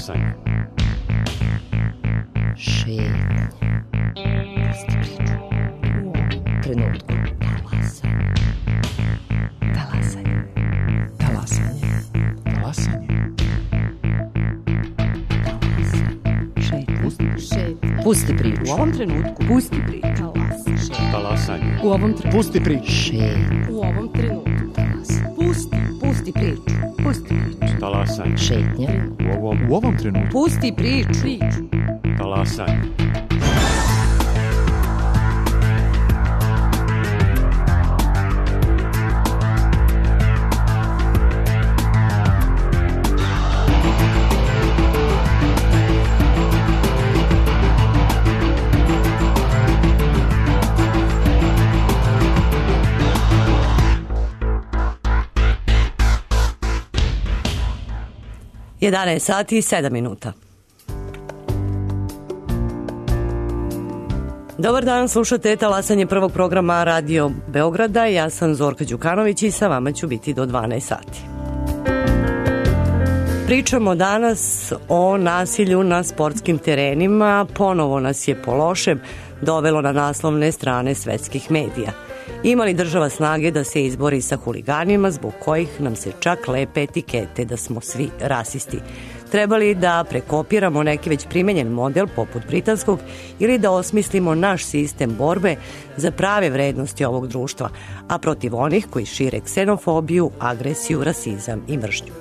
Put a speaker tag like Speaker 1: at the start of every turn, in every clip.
Speaker 1: Talasanje.
Speaker 2: Šetnje. Pusti priču. U ovom trenutku. Talasanje. Talasanje.
Speaker 3: Talasanje.
Speaker 2: Šetnje. Pusti priču.
Speaker 4: U ovom trenutku. Pusti priču.
Speaker 1: Talasanje.
Speaker 4: U ovom trenutku.
Speaker 3: Pusti priču.
Speaker 2: Šetnje.
Speaker 4: U ovom trenutku. Pusti priču. Pusti priču.
Speaker 1: Talasanje.
Speaker 2: Šetnje.
Speaker 3: U ovom trenutku.
Speaker 4: Pusti priču.
Speaker 1: Talasanje.
Speaker 5: Jedanaest sati i 7 minuta. Dobar dan, slušate Talasanje prvog programa Radio Beograda. Ja sam Zorka Đukanović i sa vama ću biti do 12 sati. Pričamo danas o nasilju na sportskim terenima. Ponovo nas je po lošem dovelo na naslovne strane svetskih medija. Ima li država snage da se izbori sa huliganima zbog kojih nam se čak lepe etikete da smo svi rasisti? Treba li da prekopiramo neki već primenjen model poput britanskog ili da osmislimo naš sistem borbe za prave vrednosti ovog društva, a protiv onih koji šire ksenofobiju, agresiju, rasizam i mržnju?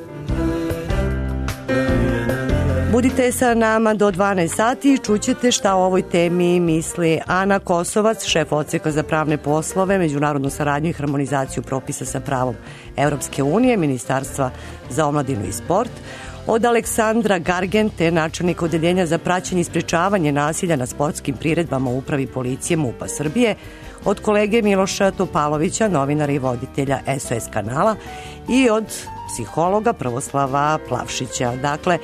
Speaker 5: Budite sa nama do 12 sati i čućete šta o ovoj temi misli Ana Kosovac, šef odseka za pravne poslove, međunarodnu saradnju i harmonizaciju propisa sa pravom Evropske unije, Ministarstva za omladinu i sport, od Aleksandra Gargente, načelnika odeljenja za praćenje i sprečavanje nasilja na sportskim priredbama u upravi policije MUP-a Srbije, od kolege Miloša Topalovića, novinara i voditelja SOS kanala, i od psihologa Prvoslava Plavšića. Dakle,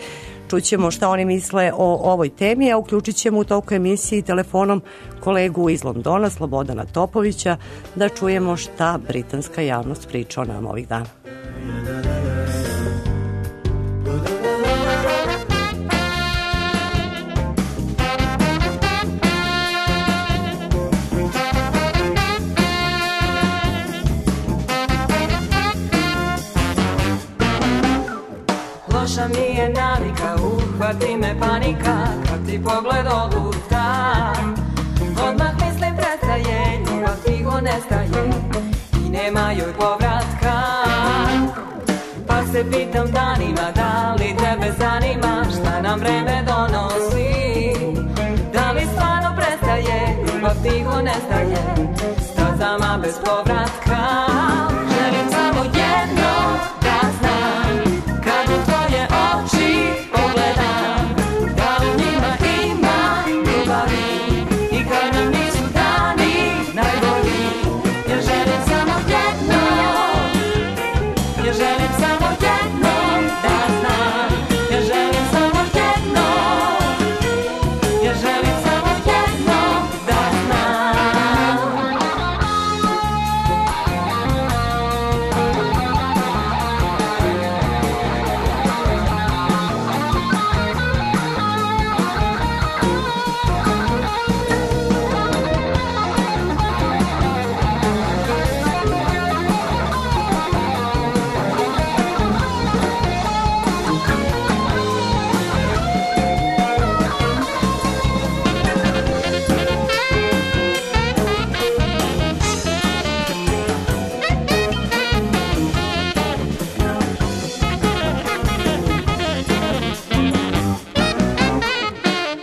Speaker 5: čućemo šta oni misle o ovoj temi, a uključit ćemo u toku emisiji telefonom kolegu iz Londona, Slobodana Topovića, da čujemo šta britanska javnost priča o nama ovih dana.
Speaker 6: Loša mi je navika, uhvati me panika, kad ti pogled odluta. Odmah mislim prestaje, ljubav tiho nestaje i nema joj povratka. Pa se pitam danima, da li tebe zanima šta nam vreme donosi? Da li stvarno prestaje, ljubav tiho nestaje, stazama bez povratka. Želim samo jedno da znam, kad u tvoje oči pogledam, da u njima ima ljubavi i kad nam nisu dani najbolji. Ja želim samo jedno, ja želim samo jedno da znam, ja želim samo jedno, ja želim samo jedno da znam.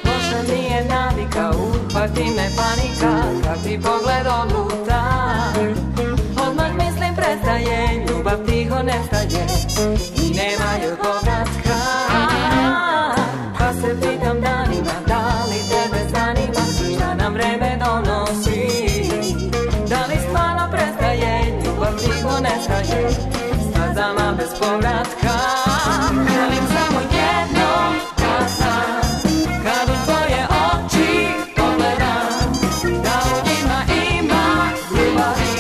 Speaker 6: Loša mi je navika, uhvati me panika, kad ti pogled odluta. Odmah mislim prestaje, ljubav tiho nestaje i nema joj povratka. Pa se pitam danima, da li tebe zanima šta nam vreme donosi? Da li stvarno prestaje, ljubav tiho nestaje, stazama bez povratka. Želim samo jedno da znam, kad u tvoje oči pogledam, da u njima ima ljubavi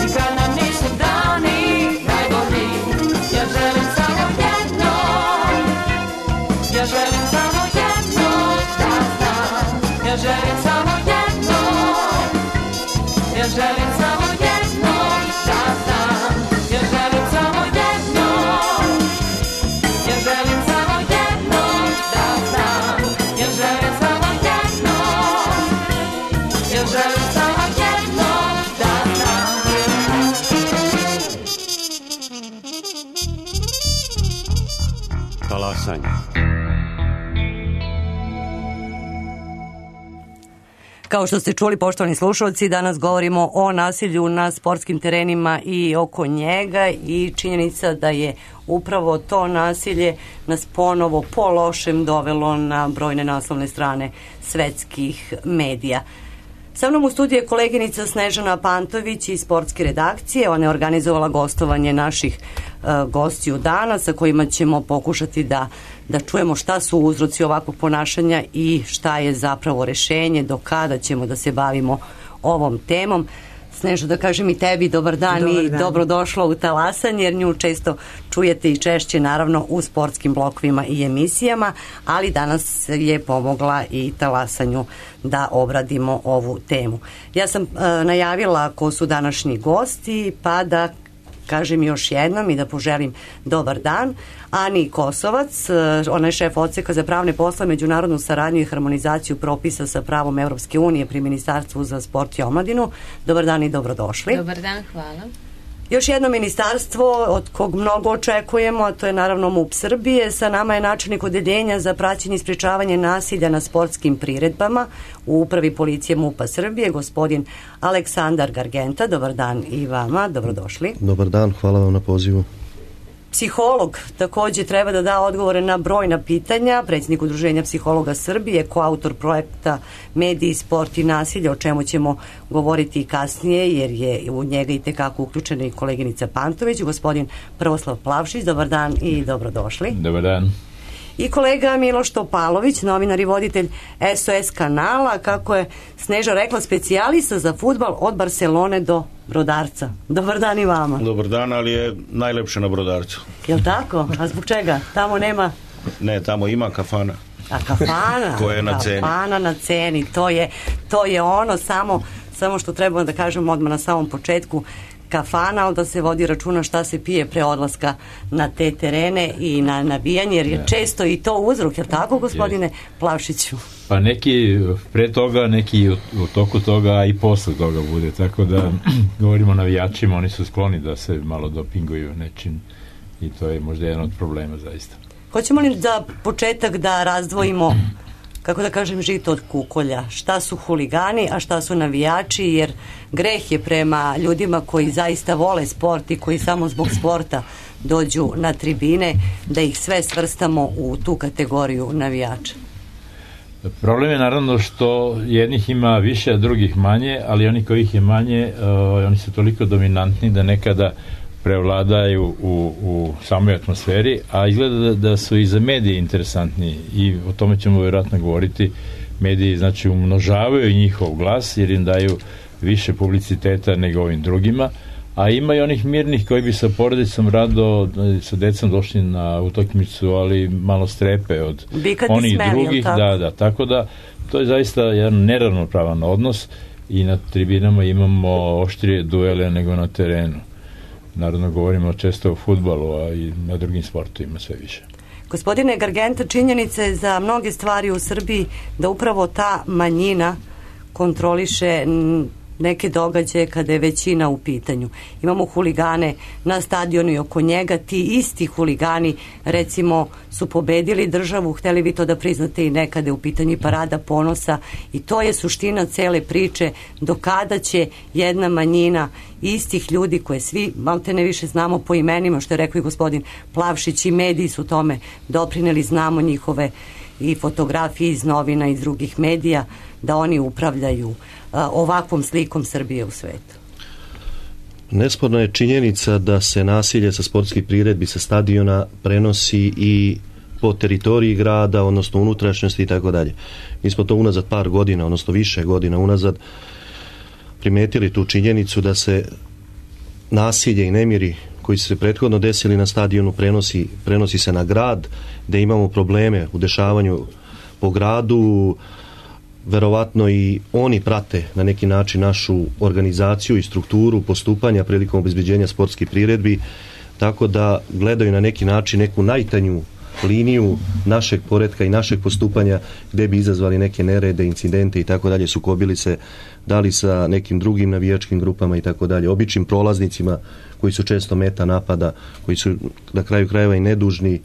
Speaker 6: i kad nam nisu dani najbolji. Ja želim samo jedno, ja želim
Speaker 1: talasanje.
Speaker 5: Kao što ste čuli, poštovani slušalci, danas govorimo o nasilju na sportskim terenima i oko njega i činjenica da je upravo to nasilje nas ponovo po lošem dovelo na brojne naslovne strane svetskih medija. Sa mnom u studiju je koleginica Snežana Pantović iz sportske redakcije. Ona je organizovala gostovanje naših gostiju dana sa kojima ćemo pokušati da čujemo šta su uzroci ovakvog ponašanja i šta je zapravo rešenje, do kada ćemo da se bavimo ovom temom. Snežo, da kažem i tebi dobar dan i dobrodošla u Talasanje, jer nju često čujete i češće naravno u sportskim blokovima i emisijama, ali danas je pomogla i Talasanju da obradimo ovu temu. Ja sam najavila ko su današnji gosti, pa da kažem još jednom i da poželim dobar dan. Ani Kosovac, ona je šef odseka za pravne posle, međunarodnu saradnju i harmonizaciju propisa sa pravom Evropske unije pri Ministarstvu za sport i omladinu. Dobar dan i dobrodošli.
Speaker 7: Dobar dan, hvala.
Speaker 5: Još jedno ministarstvo od kog mnogo očekujemo, a to je naravno MUP Srbije. Sa nama je načelnik odeljenja za praćenje i sprečavanje nasilja na sportskim priredbama u upravi policije MUP-a Srbije, gospodin Aleksandar Gargenta. Dobar dan i vama, dobrodošli.
Speaker 8: Dobar dan, hvala vam na pozivu.
Speaker 5: Psiholog takođe treba da da odgovore na brojna pitanja, predsjednik Udruženja psihologa Srbije, koautor projekta Mediji, sport i nasilje, o čemu ćemo govoriti i kasnije, jer je u njega i tekako uključena i koleginica Pantović, gospodin Prvoslav Plavšić. Dobar dan i dobrodošli.
Speaker 9: Dobar dan.
Speaker 5: I kolega Miloš Topalović, novinar i voditelj SOS kanala, kako je Sneža rekla, specijalista za fudbal od Barcelone do Brodarca. Dobar dan i vama.
Speaker 10: Dobar dan, ali je najlepše na Brodarcu.
Speaker 5: Jel' tako? A zbog čega? Tamo nema...
Speaker 10: Ne, tamo ima kafana.
Speaker 5: A kafana?
Speaker 10: Koja je na ceni.
Speaker 5: Kafana na ceni. To je ono samo što trebamo da kažemo odmah na samom početku. Kafana, ali da se vodi računa šta se pije pre odlaska na te terene i na navijanje, jer je često i to uzrok, je li tako, gospodine Plavšiću?
Speaker 9: Pa neki pre toga, neki u toku toga i posle toga bude, tako da govorimo o navijačima, oni su skloni da se malo dopinguju nečim i to je možda jedan od problema zaista.
Speaker 5: Hoćemo li za početak da razdvojimo, kako da kažem, žito od kukolja? Šta su huligani, a šta su navijači, jer greh je prema ljudima koji zaista vole sport i koji samo zbog sporta dođu na tribine, da ih sve svrstamo u tu kategoriju navijača.
Speaker 9: Problem je naravno što jednih ima više, a drugih manje, ali oni kojih je manje, oni su toliko dominantni da nekada prevladaju u samoj atmosferi, a izgleda da su i za medije interesantni i o tome ćemo vjerojatno govoriti. Mediji znači umnožavaju njihov glas jer im daju više publiciteta nego ovim drugima, a ima i onih mirnih koji bi sa porodicom rado sa decom došli na utakmicu, ali malo strepe od onih drugih. Da, tako da to je zaista jedan neravnopravan odnos i na tribinama imamo oštrije duele nego na terenu. Naravno govorimo često o fudbalu, a i na drugim sportovima sve više.
Speaker 5: Gospodine Gargenta, činjenica je za mnoge stvari u Srbiji da upravo ta manjina kontroliše neke događaje kada je većina u pitanju. Imamo huligane na stadionu i oko njega, ti isti huligani recimo su pobedili državu, hteli vi to da priznate i nekada u pitanju Parada ponosa, i to je suština cele priče, do kada će jedna manjina istih ljudi koje svi maltene više znamo po imenima, što je rekao i gospodin Plavšić, i mediji su tome doprineli, znamo njihove i fotografije iz novina i iz drugih medija, da oni upravljaju ovakvom slikom Srbije u svetu.
Speaker 8: Nesporna je činjenica da se nasilje sa sportskih priredbi sa stadiona prenosi i po teritoriji grada, odnosno unutrašnjosti i tako dalje. Mi smo to unazad par godina, odnosno više godina unazad primetili tu činjenicu da se nasilje i nemiri koji su se prethodno desili na stadionu prenosi se na grad, da imamo probleme u dešavanju po gradu. Verovatno i oni prate na neki način našu organizaciju i strukturu postupanja prilikom obezbeđenja sportskih priredbi, tako da gledaju na neki način neku najtanju liniju našeg poretka i našeg postupanja gde bi izazvali neke nerede, incidente i tako dalje, sukobili se da li sa nekim drugim navijačkim grupama i tako dalje, običnim prolaznicima koji su često meta napada, koji su na kraju krajeva i nedužni,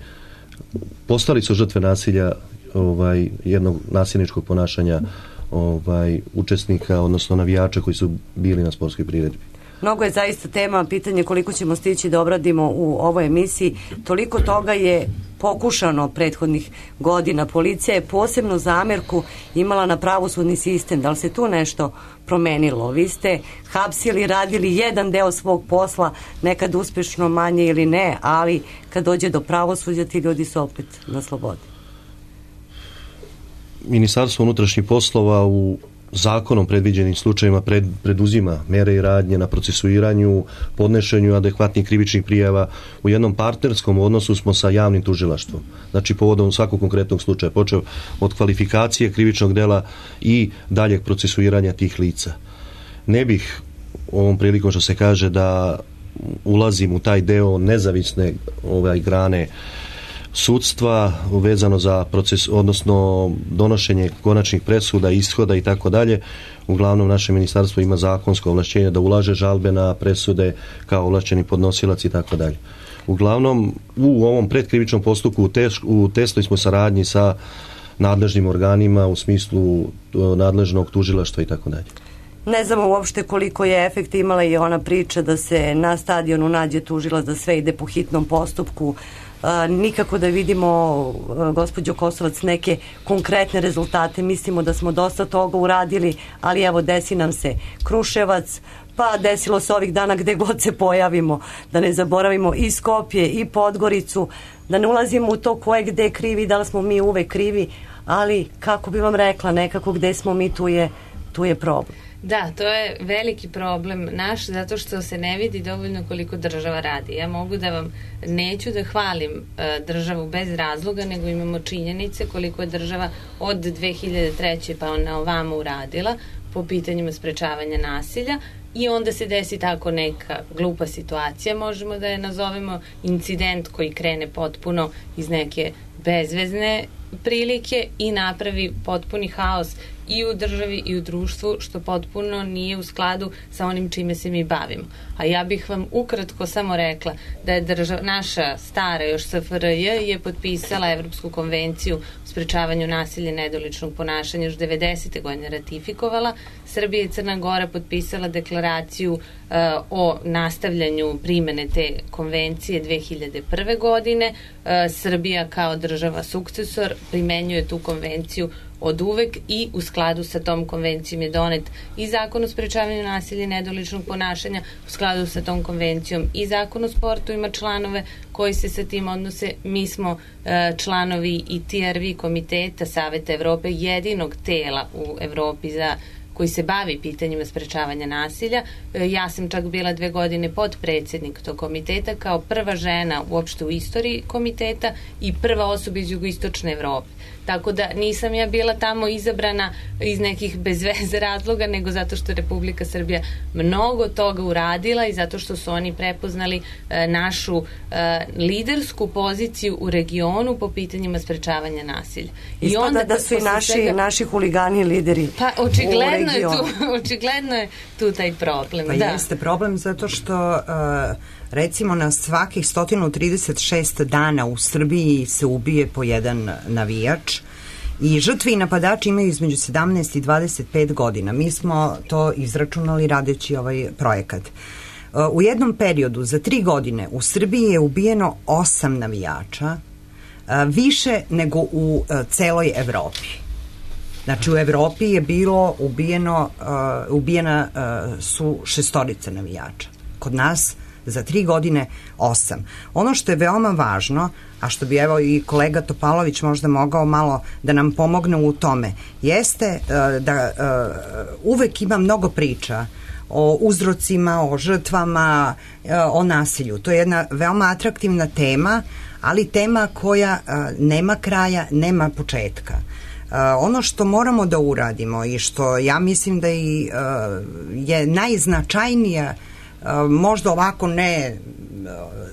Speaker 8: postali su žrtve nasilja, jednog nasilničkog ponašanja učesnika, odnosno navijača koji su bili na sportskoj priredbi.
Speaker 5: Mnogo je zaista tema, pitanje koliko ćemo stići da obradimo u ovoj emisiji. Toliko toga je pokušano prethodnih godina. Policija je posebnu zamerku imala na pravosudni sistem. Da li se tu nešto promenilo? Vi ste hapsili, radili jedan deo svog posla, nekad uspešno, manje ili ne, ali kad dođe do pravosuđa ti ljudi su opet na slobodi.
Speaker 8: Ministarstvo unutrašnjih poslova u zakonom predviđenim slučajevima preduzima mere i radnje na procesuiranju, podnešenju adekvatnih krivičnih prijava. U jednom partnerskom odnosu smo sa javnim tužilaštvom. Znači povodom svakog konkretnog slučaja, počeo od kvalifikacije krivičnog dela i daljeg procesuiranja tih lica. Ne bih ovom prilikom što se kaže da ulazim u taj deo nezavisne grane sudstva vezano za proces, odnosno donošenje konačnih presuda, ishoda i tako dalje. Uglavnom naše ministarstvo ima zakonsko ovlašćenje da ulaže žalbe na presude kao ovlašćeni podnosilac i tako dalje. Uglavnom u ovom predkrivičnom postupku u tesnoj smo saradnji sa nadležnim organima u smislu nadležnog tužilaštva i tako dalje.
Speaker 5: Ne znamo uopšte koliko je efekt imala i ona priča da se na stadionu nađe tužilac, da sve ide po hitnom postupku. Nikako da vidimo, gospođo Kosovac, neke konkretne rezultate. Mislimo da smo dosta toga uradili, ali evo desi nam se Kruševac, pa desilo se ovih dana gde god se pojavimo, da ne zaboravimo i Skopje i Podgoricu, da ne ulazimo u to ko je gde krivi, da li smo mi uvek krivi, ali kako bi vam rekla, nekako gde smo mi tu je problem.
Speaker 7: Da, to je veliki problem naš, zato što se ne vidi dovoljno koliko država radi. Ja mogu da vam, neću da hvalim državu bez razloga, nego imamo činjenice koliko je država od 2003. pa na ovamo uradila po pitanjima sprečavanja nasilja i onda se desi tako neka glupa situacija, možemo da je nazovemo incident koji krene potpuno iz neke bezvezne prilike i napravi potpuni haos i u državi i u društvu, što potpuno nije u skladu sa onim čime se mi bavimo. A ja bih vam ukratko samo rekla da je naša stara još SFRJ je potpisala Evropsku konvenciju o sprečavanju nasilja i nedoličnog ponašanja još 90. godine ratifikovala. Srbija i Crna Gora potpisala deklaraciju o nastavljanju primene te konvencije 2001. godine. Srbija kao država sukcesor primenjuje tu konvenciju od uvek i u skladu sa tom konvencijom je donet i zakon o sprečavanju nasilja i nedoličnog ponašanja, u skladu sa tom konvencijom i zakon o sportu ima članove koji se sa tim odnose. Mi smo članovi i TRV komiteta Saveta Evrope, jedinog tela u Evropi koji se bavi pitanjima sprečavanja nasilja. Ja sam čak bila 2 godine podpredsednik tog komiteta kao prva žena uopšte u istoriji komiteta i prva osoba iz jugoistočne Evrope. Tako da nisam ja bila tamo izabrana iz nekih bezveze razloga, nego zato što je Republika Srbija mnogo toga uradila i zato što su oni prepoznali našu lidersku poziciju u regionu po pitanjima sprečavanja nasilja.
Speaker 5: Ispada da su i naši huligani lideri.
Speaker 7: Pa očigledno je tu taj problem.
Speaker 11: Pa jeste problem zato što recimo na svakih 136 dana u Srbiji se ubije po jedan navijač i žrtve i napadači imaju između 17 i 25 godina. Mi smo to izračunali radeći ovaj projekat. U jednom periodu za 3 godine u Srbiji je ubijeno 8 navijača, više nego u celoj Evropi. Znači u Evropi je bilo ubijena su 6 navijača. Kod nas za 3 godine 8. Ono što je veoma važno, a što bi evo i kolega Topalović možda mogao malo da nam pomogne u tome, jeste da uvek ima mnogo priča o uzrocima, o žrtvama, o nasilju. To je jedna veoma atraktivna tema, ali tema koja nema kraja, nema početka. Ono što moramo da uradimo i što ja mislim da je najznačajnija, možda ovako ne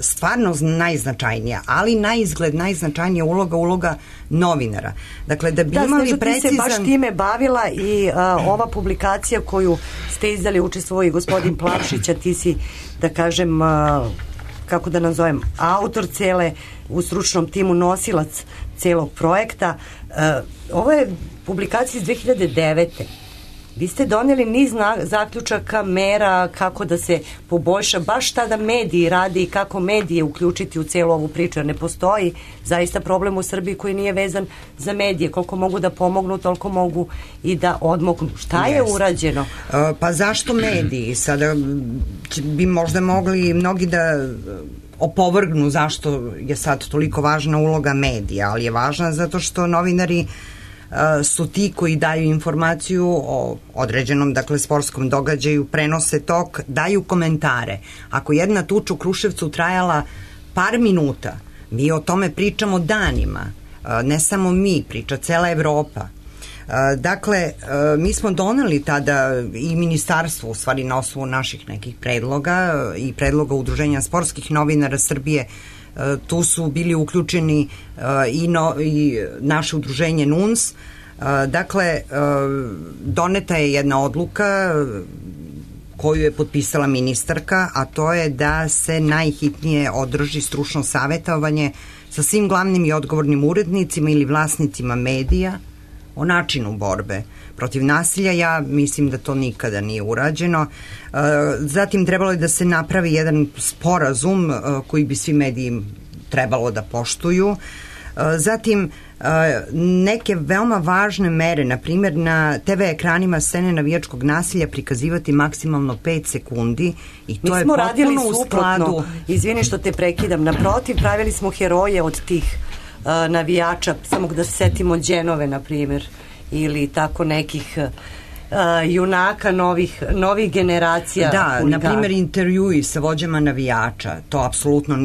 Speaker 11: stvarno najznačajnija, ali na izgled najznačajnija uloga novinara. Dakle, da bi imali precizan...
Speaker 5: Ti se baš time bavila i ova publikacija koju ste izdali, učestvovao i gospodin Plavšić, a ti si, da kažem, kako da nazovem, autor cele, u stručnom timu nosilac celog projekta. Ovo je publikacija iz 2009. Vi ste doneli niz zaključaka, mera kako da se poboljša baš tada mediji radi i kako medije uključiti u celu ovu priču, jer ne postoji zaista problem u Srbiji koji nije vezan za medije. Koliko mogu da pomognu, toliko mogu i da odmognu. Šta je urađeno?
Speaker 11: Pa zašto mediji? Sada bi možda mogli mnogi da opovrgnu zašto je sad toliko važna uloga medija, ali je važna zato što novinari su ti koji daju informaciju o određenom, dakle, sportskom događaju, prenose tok, daju komentare. Ako jedna tuča u Kruševcu trajala par minuta, mi o tome pričamo danima, ne samo mi, priča cela Evropa. Dakle, mi smo doneli tada i ministarstvo, u stvari na osnovu naših nekih predloga i predloga Udruženja sportskih novinara Srbije, tu su bili uključeni i naše udruženje NUNS. Dakle, doneta je jedna odluka koju je potpisala ministarka, a to je da se najhitnije održi stručno savjetovanje sa svim glavnim i odgovornim urednicima ili vlasnicima medija o načinu borbe protiv nasilja. Ja mislim da to nikada nije urađeno. Zatim trebalo je da se napravi jedan sporazum koji bi svi mediji trebalo da poštuju. Zatim neke veoma važne mere, na primjer na TV ekranima scene navijačkog nasilja prikazivati maksimalno 5 sekundi i to je potpuno u skladu.
Speaker 5: Izvini što te prekidam, naprotiv, pravili smo heroje od tih navijača, samo da se setimo Đenove, na primjer, ili tako nekih junaka novih generacija.
Speaker 11: Da, na primjer intervjui sa vođama navijača, to apsolutno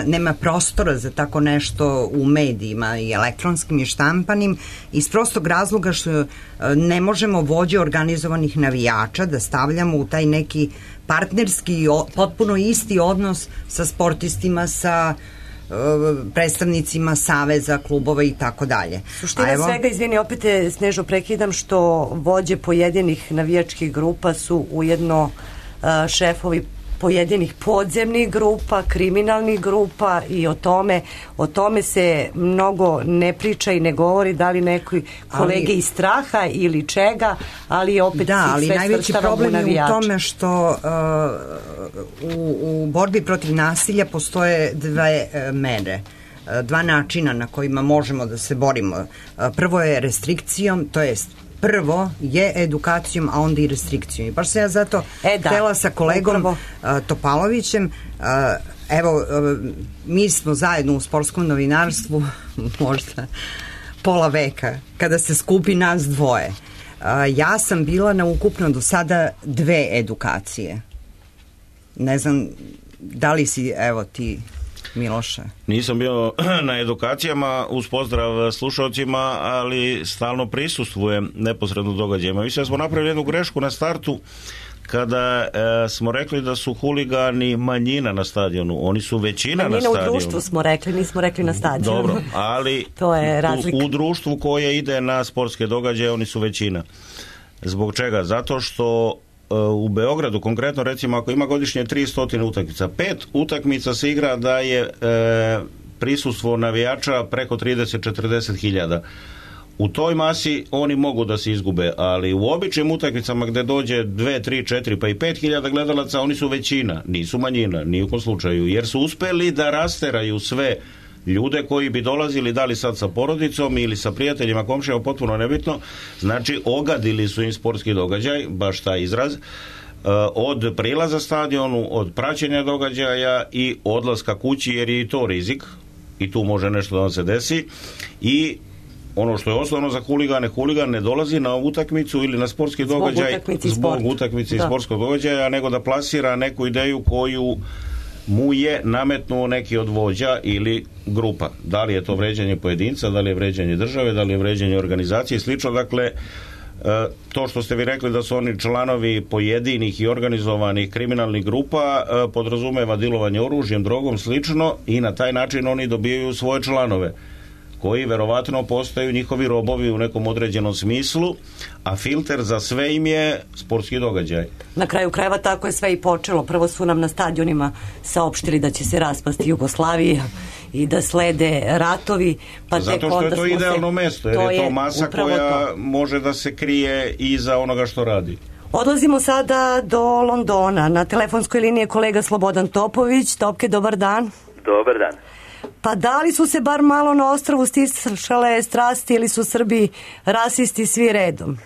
Speaker 11: nema prostora za tako nešto u medijima i elektronskim i štampanim, iz prostog razloga što ne možemo vođe organizovanih navijača da stavljamo u taj neki partnerski, potpuno isti odnos sa sportistima, sa predstavnicima saveza, klubova i tako dalje.
Speaker 5: Suština svega, izvini, opet te Snežo prekidam, što vođe pojedinih navijačkih grupa su ujedno šefovi pojedinih podzemnih grupa, kriminalnih grupa i o tome se mnogo ne priča i ne govori, da li neki kolege iz straha ili čega, ali opet
Speaker 11: ali najveći problem je u tome što u borbi protiv nasilja postoje dve mere, dva načina na kojima možemo da se borimo. Prvo je restrikcijom, to jest prvo je edukacijom, a onda i restrikcijom. I baš se ja zato htela sa kolegom Topalovićem, evo, mi smo zajedno u sportskom novinarstvu možda pola veka, kada se skupi nas dvoje. Ja sam bila na ukupno do sada 2 edukacije. Ne znam, da li si, evo ti, Miloše?
Speaker 10: Nisam bio na edukacijama, uz pozdrav slušalcima, ali stalno prisustvujem neposredno događajima. Mislim da smo napravili jednu grešku na startu kada smo rekli da su huligani manjina na stadionu. Oni su većina na stadionu.
Speaker 5: Manjina u društvu smo rekli, nismo rekli na stadionu.
Speaker 10: Dobro, ali
Speaker 5: to je
Speaker 10: u društvu koje ide na sportske događaje oni su većina. Zbog čega? Zato što u Beogradu, konkretno recimo ako ima godišnje 300 utakmica, 5 utakmica se igra da je prisustvo navijača preko 30-40 hiljada. U toj masi oni mogu da se izgube, ali u običnim utakmicama gde dođe 2, 3, 4 pa i 5 hiljada gledalaca, oni su većina, nisu manjina, ni u kom slučaju, jer su uspeli da rasteraju sve ljude koji bi dolazili, da li sad sa porodicom ili sa prijateljima, komšijama, potpuno nebitno, znači ogadili su im sportski događaj, baš taj izraz, od prilaza stadionu, od praćenja događaja i odlaska kući, jer je i to rizik i tu može nešto da vam se desi. I ono što je osnovno za huligane, huligan ne dolazi na utakmicu ili na sportski događaj zbog utakmice i sportskog događaja, nego da plasira neku ideju koju mu je nametnuo neki od vođa ili grupa. Da li je to vređanje pojedinca, da li je vređanje države, da li je vređanje organizacije i slično. Dakle, to što ste vi rekli da su oni članovi pojedinih i organizovanih kriminalnih grupa podrazumeva dilovanje oružjem, drogom, slično, i na taj način oni dobijaju svoje članove. koji verovatno postaju njihovi robovi u nekom određenom smislu, a filter za sve im je sportski događaj.
Speaker 5: Na kraju krajeva tako je sve i počelo. Prvo su nam na stadionima saopštili da će se raspasti Jugoslavija i da slede ratovi, pa
Speaker 10: zato što je to idealno mesto, jer je to masa koja može da se krije iza onoga što radi.
Speaker 5: Odlazimo sada do Londona. Na telefonskoj liniji je kolega Slobodan Topović. Topke, dobar dan.
Speaker 12: Dobar dan.
Speaker 5: Pa da li su se bar malo na ostrvu stišale strasti ili su Srbi rasisti svi redom?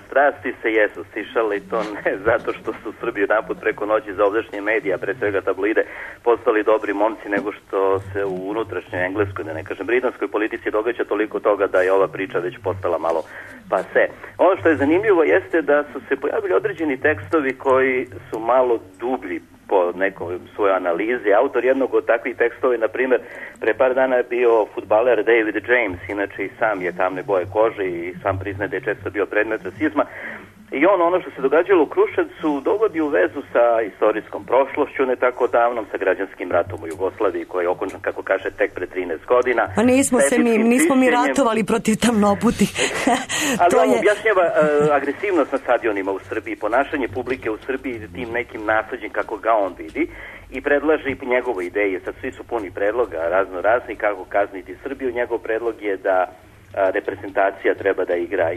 Speaker 12: Strasti se jesu stišale i to ne zato što su Srbi naput preko noći za ovdašnje medija, pre svega tabloide, postali dobri momci, nego što se u unutrašnjoj engleskoj, da ne kažem britanskoj politici događa toliko toga da je ova priča već postala malo pase. Ono što je zanimljivo jeste da su se pojavili određeni tekstovi koji su malo dublji po nekoj svojoj analizi. Autor jednog od takvih tekstova je, na primjer, pre par dana je bio fudbaler David James, inače i sam je tamne boje kože i sam priznaje da je često bio predmet rasizma. I ono što se događalo u Kruševcu dovodi u vezu sa istorijskom prošlošću, ne tako davnom, sa građanskim ratom u Jugoslaviji, koji je okončan, kako kaže, tek pre 13 godina.
Speaker 5: Pa nismo mi ratovali protiv tamnoputih.
Speaker 12: Ali on objašnjava agresivnost na stadionima u Srbiji, ponašanje publike u Srbiji tim nekim nasleđem kako ga on vidi i predlaže i njegove ideje. Sad svi su puni predloga, razno razni, kako kazniti Srbiju. Njegov predlog je da reprezentacija treba da igra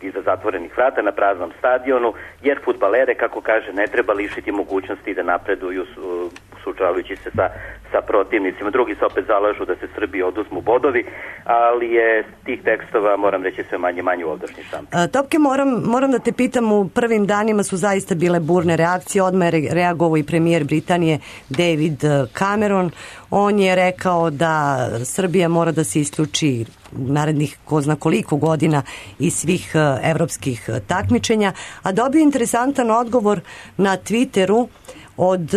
Speaker 12: iza zatvorenih vrata na praznom stadionu, jer fudbalere, kako kaže, ne treba lišiti mogućnosti da napreduju suočavajući se sa protivnicima. Drugi se opet zalažu da se Srbiji oduzmu bodovi, ali je tih tekstova, moram reći, sve manje u ovdašnji štampi.
Speaker 5: Topke, moram da te pitam, u prvim danima su zaista bile burne reakcije, odmah je reagovao i premijer Britanije David Cameron. On je rekao da Srbija mora da se isključi narednih ko zna koliko godina iz svih evropskih takmičenja, a dobio interesantan odgovor na Twitteru od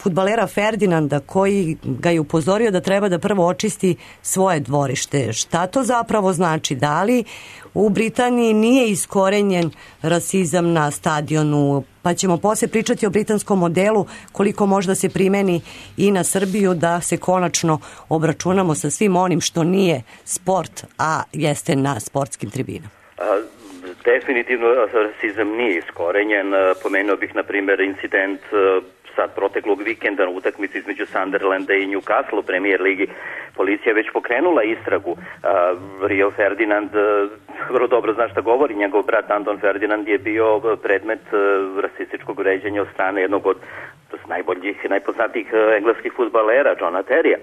Speaker 5: fudbalera Ferdinanda, koji ga je upozorio da treba da prvo očisti svoje dvorište. Šta to zapravo znači? Da li u Britaniji nije iskorenjen rasizam na stadionu? Pa ćemo poslije pričati o britanskom modelu, koliko možda se primeni i na Srbiju, da se konačno obračunamo sa svim onim što nije sport, a jeste na sportskim tribinama.
Speaker 12: Definitivno rasizam nije iskorenjen. Pomenuo bih, na primjer, incident sad proteklog vikenda na utakmici između Sunderlanda i Newcastle u Premier ligi. Policija je već pokrenula istragu. Rio Ferdinand vrlo dobro zna šta govori. Njegov brat Anton Ferdinand je bio predmet rasističkog vređanja od strane jednog od najboljih i najpoznatijih engleskih fudbalera, Johna Terrya.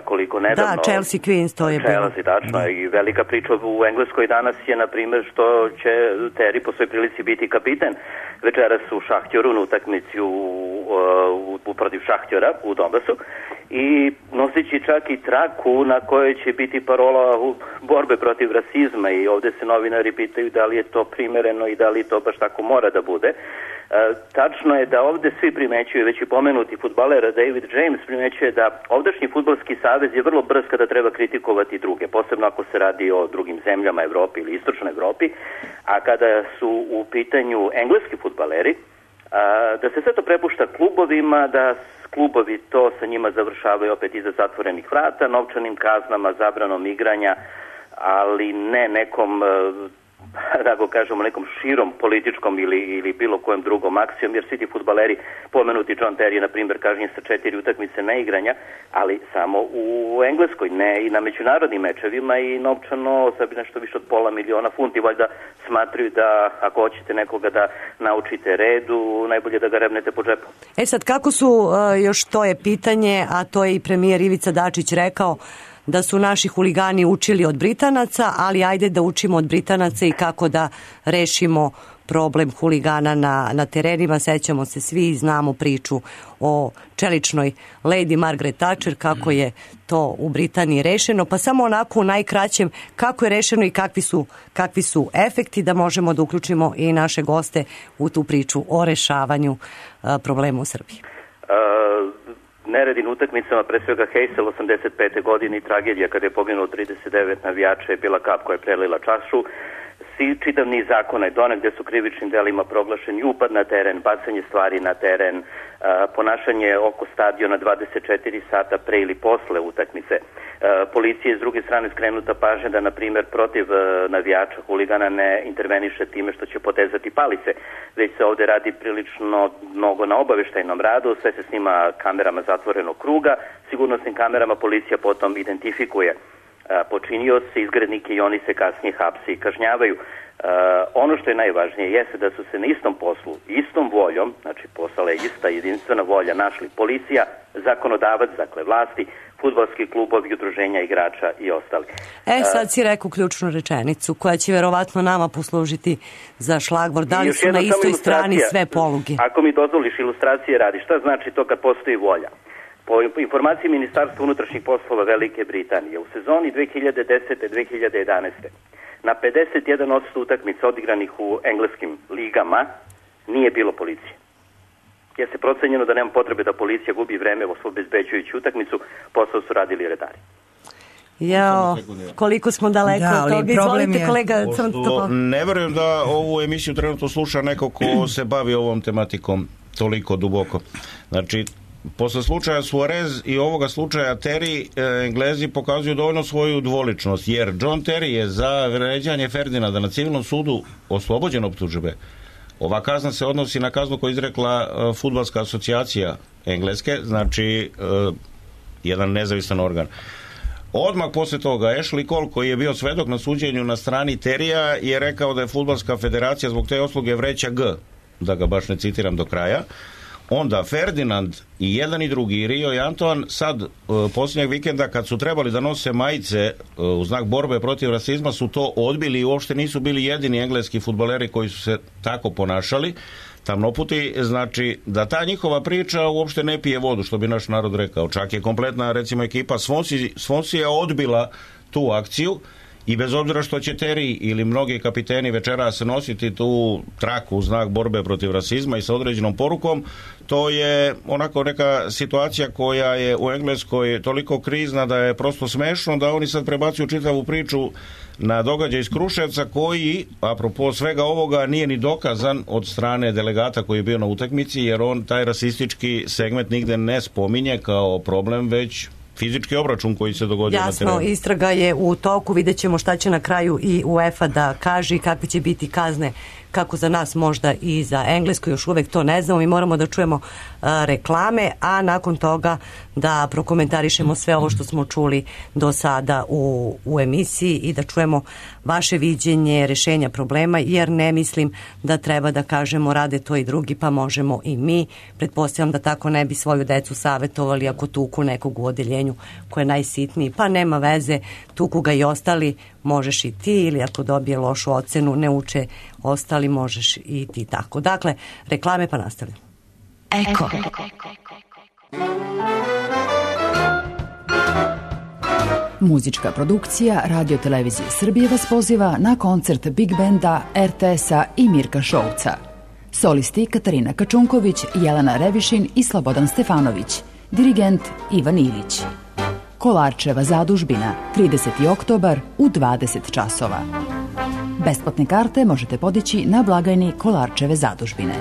Speaker 12: Koliko nedavno... Da,
Speaker 5: Chelsea Queens, to je bilo.
Speaker 12: Chelsea, tačno. I velika priča u Engleskoj danas je, na primjer, što će Terry po svoj prilici biti kapiten večeras u Šahtjoru na utakmici protiv Šahtjora u Donbasu i noseći čak i traku na kojoj će biti parola borbe protiv rasizma, i ovdje se novinari pitaju da li je to primereno i da li to baš tako mora da bude. Tačno je da ovdje svi primećuju, već i pomenuti fudbaler David James primećuje da ovdašnji fudbalski savez je vrlo brz kada treba kritikovati druge, posebno ako se radi o drugim zemljama Evropi ili istočnoj Evropi, a kada su u pitanju engleski fudbaleri, da se sve to prepušta klubovima, da klubovi to sa njima završavaju opet iza zatvorenih vrata, novčanim kaznama, zabranom igranja, ali ne nekom, da kažemo, nekom širom političkom ili bilo kojem drugom akcijom, jer svi ti fudbaleri, pomenuti John Terry, na primjer, kažnjen sa 4 utakmice neigranja, ali samo u Engleskoj, ne i na međunarodnim mečevima, i novčano sad nešto više od $500,000 funti, valjda smatruju da ako hoćete nekoga da naučite redu, najbolje da ga rebnete po džepu.
Speaker 5: Sad, kako su, još to je pitanje, a to je i premijer Ivica Dačić rekao, da su naši huligani učili od Britanaca, ali ajde da učimo od Britanaca i kako da rešimo problem huligana na terenima. Sećamo se svi i znamo priču o čeličnoj Lady Margaret Thatcher, kako je to u Britaniji rešeno, pa samo onako u najkraćem kako je rešeno i kakvi su efekti, da možemo da uključimo i naše goste u tu priču o rešavanju problema u Srbiji.
Speaker 12: Neredi na utakmicama, pre svega Heysel 85. godine i tragedija kada je poginulo 39 navijača je bila kap koja je prelila čašu. čitav niz zakona je donet gde su krivičnim delima proglašeni upad na teren, bacanje stvari na teren, ponašanje oko stadiona 24 sata pre ili posle utakmice. Policija je s druge strane skrenuta pažnja da, na primjer, protiv navijača, huligana ne interveniše time što će potezati palice, već se ovde radi prilično mnogo na obaveštajnom radu, sve se snima kamerama zatvorenog kruga, sigurnosnim kamerama policija potom identifikuje počinioce, izgrednike i oni se kasnije hapse i kažnjavaju. Ono što je najvažnije jeste da su se na istom poslu, istom voljom, znači postala je ista jedinstvena volja, našli policija, zakonodavac, dakle vlasti, fudbalski klubovi, udruženja igrača i ostali.
Speaker 5: Sad si rekao ključnu rečenicu koja će verovatno nama poslužiti za šlagvor. Da li su na istoj strani sve poluge?
Speaker 12: Ako mi dozvoliš ilustracije radi, šta znači to kad postoji volja? Po informaciji Ministarstva unutrašnjih poslova Velike Britanije, u sezoni 2010-2011. na 51% utakmica odigranih u engleskim ligama nije bilo policije. Jer se procenjeno da nema potrebe da policija gubi vreme obezbeđujući utakmicu, posao su radili redari.
Speaker 5: Jao, koliko smo daleko od toga. Izvolite, kolega.
Speaker 10: Ne verujem da ovu emisiju trenutno sluša neko ko se bavi ovom tematikom toliko duboko. Znači, posle slučaja Suarez i ovoga slučaja Terry, Englezi pokazuju dovoljno svoju dvoličnost, jer John Terry je za vređanje Ferdinanda na civilnom sudu oslobođen optužbe. Ova kazna se odnosi na kaznu koju izrekla Fudbalska asocijacija Engleske, znači jedan nezavisan organ. Odmah posle toga Ashley Cole, koji je bio svedok na suđenju na strani Terija, je rekao da je Fudbalska federacija zbog te usluge vreća G, da ga baš ne citiram do kraja. Onda Ferdinand i jedan i drugi, i Rio i Antoine, sad posljednjeg vikenda kad su trebali da nose majice u znak borbe protiv rasizma, su to odbili i uopšte nisu bili jedini engleski fudbaleri koji su se tako ponašali. Tamnoputi, znači da ta njihova priča uopšte ne pije vodu, što bi naš narod rekao. Čak je kompletna, recimo, ekipa Swansea odbila tu akciju i bez obzira što će Terry ili mnogi kapiteni večeras nositi tu traku u znak borbe protiv rasizma i sa određenom porukom, to je onako neka situacija koja je u Engleskoj toliko krizna da je prosto smešno da oni sad prebacuju čitavu priču na događaj iz Kruševca koji, apropo svega ovoga, nije ni dokazan od strane delegata koji je bio na utakmici, jer on taj rasistički segment nigde ne spominje kao problem, već fizički obračun koji se dogodio na terenu.
Speaker 5: Jasno, istraga je u toku, vidjet ćemo šta će na kraju i UEFA da kaže i kakve će biti kazne, kako za nas možda i za Englesku, još uvek to ne znamo. Mi moramo da čujemo reklame, a nakon toga da prokomentarišemo sve ovo što smo čuli do sada u emisiji i da čujemo vaše viđenje rešenja problema, jer ne mislim da treba da kažemo rade to i drugi, pa možemo i mi. Pretpostavljam da tako ne bi svoju decu savetovali ako tuku nekog u odeljenju ko je najsitniji, pa nema veze, tuku ga i ostali, možeš i ti, ili ako dobije lošu ocenu, ne uče ostali, možeš i ti tako. Dakle, reklame pa nastavljamo.
Speaker 2: Eko. Muzička produkcija Radio Televizije Srbije vas poziva na koncert Big Benda, RTS-a i Mirka Šouca. Solisti Katarina Kačunković, Jelena Revišin i Slobodan Stefanović. Dirigent Ivan Ilić. Kolarčeva zadužbina, 30. oktobar u 20 časova. Besplatne karte možete podići na blagajni Kolarčeve zadužbine.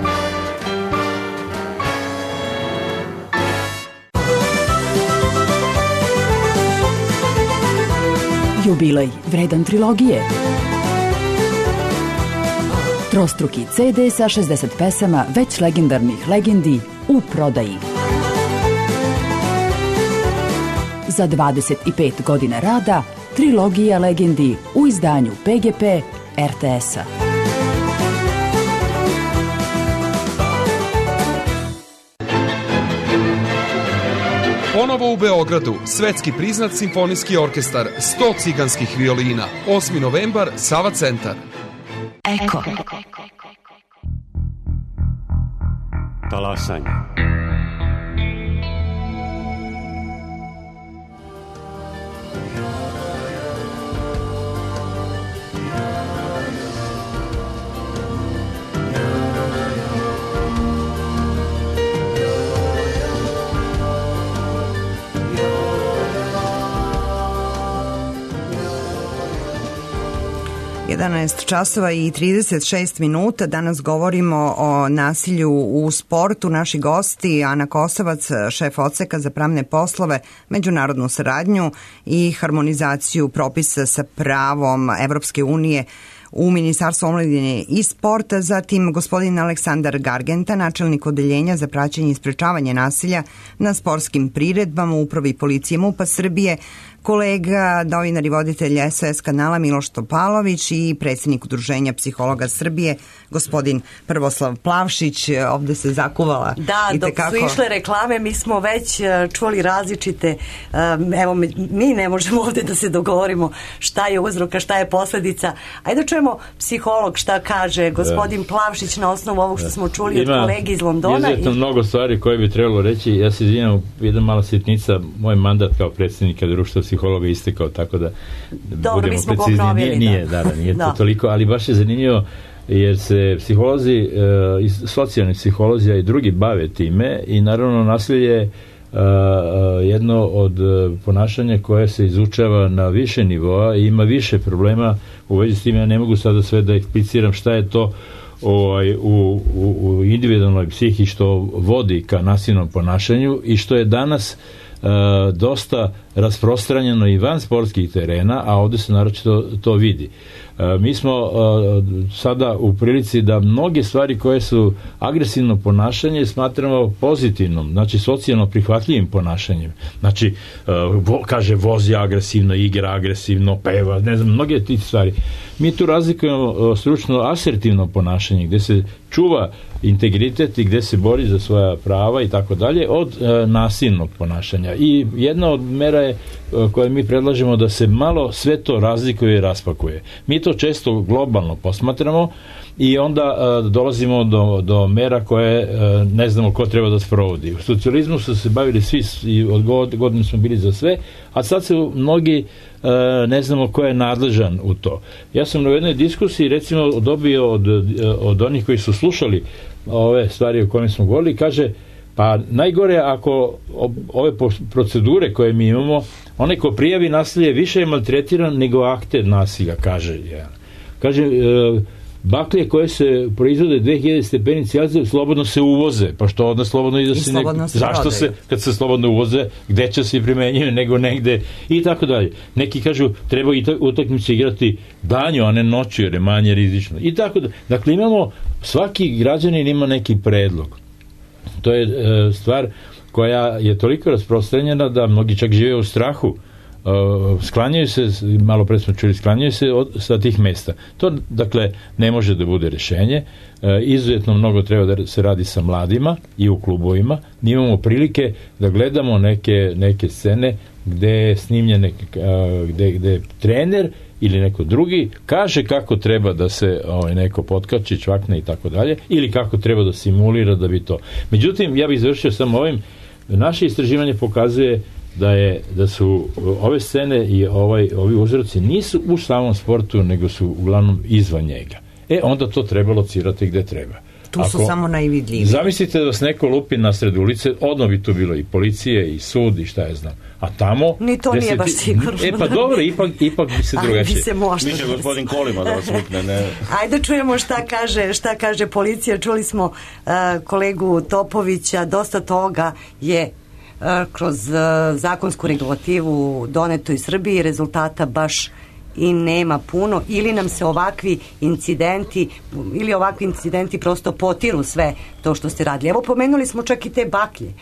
Speaker 2: Jubilej vredan trilogije. Trostruki CD sa 60 pesama već legendarnih legendi u prodaji. Za 25 godina rada, trilogija legendi u izdanju PGP RTS-a.
Speaker 13: Ponovo u Beogradu, svetski priznat simfonijski orkestar 100 ciganskih violina. 8. novembar, Sava centar.
Speaker 2: Eko.
Speaker 1: Talasanje.
Speaker 11: 11 časova i 36 minuta. Danas govorimo o nasilju u sportu. Naši gosti Ana Kosovac, šef odseka za pravne poslove, međunarodnu saradnju i harmonizaciju propisa sa pravom Evropske unije u Ministarstvu omladine i sporta, zatim gospodin Aleksandar Gargenta, načelnik odeljenja za praćenje i sprečavanje nasilja na sportskim priredbama u Upravi policije MUP-a Srbije, kolega, novinar i voditelj SOS kanala Miloš Topalović i predsjednik Udruženja psihologa Srbije, gospodin Prvoslav Plavšić. Ovde se zakuvala.
Speaker 5: Da, dok su išle reklame, mi smo već čuli različite, evo, mi ne možemo ovde da se dogovorimo šta je uzrok, a šta je posledica. Ajde da čujemo psiholog šta kaže gospodin Plavšić na osnovu ovog što smo čuli od kolegi iz Londona.
Speaker 9: Izuzetno mnogo stvari koje bi trebalo reći. Ja se izvinjam, jedna mala sitnica, moj mandat kao predsjednika društva psihologa istekao, tako da
Speaker 5: dobro,
Speaker 9: budemo precizni. Nije to toliko, ali baš je zanimljivo jer se psiholozi, socijalni psiholozi i drugi bave time i naravno nasilje je jedno od ponašanja koje se izučava na više nivoa i ima problema u vezi s tim. Ja ne mogu sada sve da ekspliciram šta je to u individualnoj psihi što vodi ka nasilnom ponašanju i što je danas dosta rasprostranjeno i van sportskih terena, a ovdje se naročito to vidi. Mi smo sada u prilici da mnoge stvari koje su agresivno ponašanje smatramo pozitivnom, znači socijalno prihvatljivim ponašanjem. Znači, kaže vozi agresivno, igra agresivno, peva, ne znam, mnoge tih stvari. Mi tu razlikujemo stručno asertivno ponašanje, gdje se čuva integritet i gdje se bori za svoja prava i tako dalje, od nasilnog ponašanja. I jedna od mera je koje mi predlažemo da se malo sve to razlikuje i raspakuje. Mi to često globalno posmatramo i onda dolazimo do mera koje ne znamo ko treba da sprovodi. U socijalizmu su se bavili svi i od godine smo bili za sve, a sad se mnogi ne znamo ko je nadležan u to. Ja sam na jednoj diskusiji recimo dobio od onih koji su slušali ove stvari o kojima smo govorili, kaže pa najgore ako ove procedure koje mi imamo, onaj ko prijavi nasilje više je maltretiran nego akter nasilja, kaže jedan. Kaže, baklje koje se proizvode 2000 stepeni Celzija slobodno se uvoze, pa što onda slobodno i se zašto se, kad se slobodno uvoze, gde će se primenjuje nego negde i tako dalje. Neki kažu treba i utakmice igrati danju, a ne noću jer je manje rizično i tako dalje. Dakle, imamo, svaki građanin ima neki predlog. To je stvar koja je toliko rasprostranjena da mnogi čak žive u strahu. Sklanjaju se, malo pre smo čuli, sklanjaju se sa tih mesta. To, dakle, ne može da bude rešenje. Izuzetno mnogo treba da se radi sa mladima i u klubovima. Mi imamo prilike da gledamo neke scene gde je snimljene, gde trener ili neko drugi kaže kako treba da se neko potkači, čvakne i tako dalje, ili kako treba da simulira da bi to. Međutim, ja bih završio samo ovim. Naše istraživanje pokazuje da su ove scene i ovi uzroci nisu u samom sportu, nego su uglavnom izvan njega. Onda to treba locirati gde treba.
Speaker 11: Tu su samo najvidljiviji.
Speaker 9: Zamislite da vas neko lupi na sred ulice, odmah bi tu bilo i policije i sud i šta je znam. A tamo...
Speaker 5: Ni to nije baš sigurno.
Speaker 9: Pa dobro, ipak bi se drugačije.
Speaker 10: Mi će gospodin Kolima da vas lupne, ne?
Speaker 5: Ajde čujemo šta kaže policija. Čuli smo kolegu Topovića, dosta toga je kroz zakonsku regulativu doneto iz Srbije, rezultata baš i nema puno, ili nam se ovakvi incidenti prosto potiru sve to što ste radili. Evo, pomenuli smo čak i te baklje.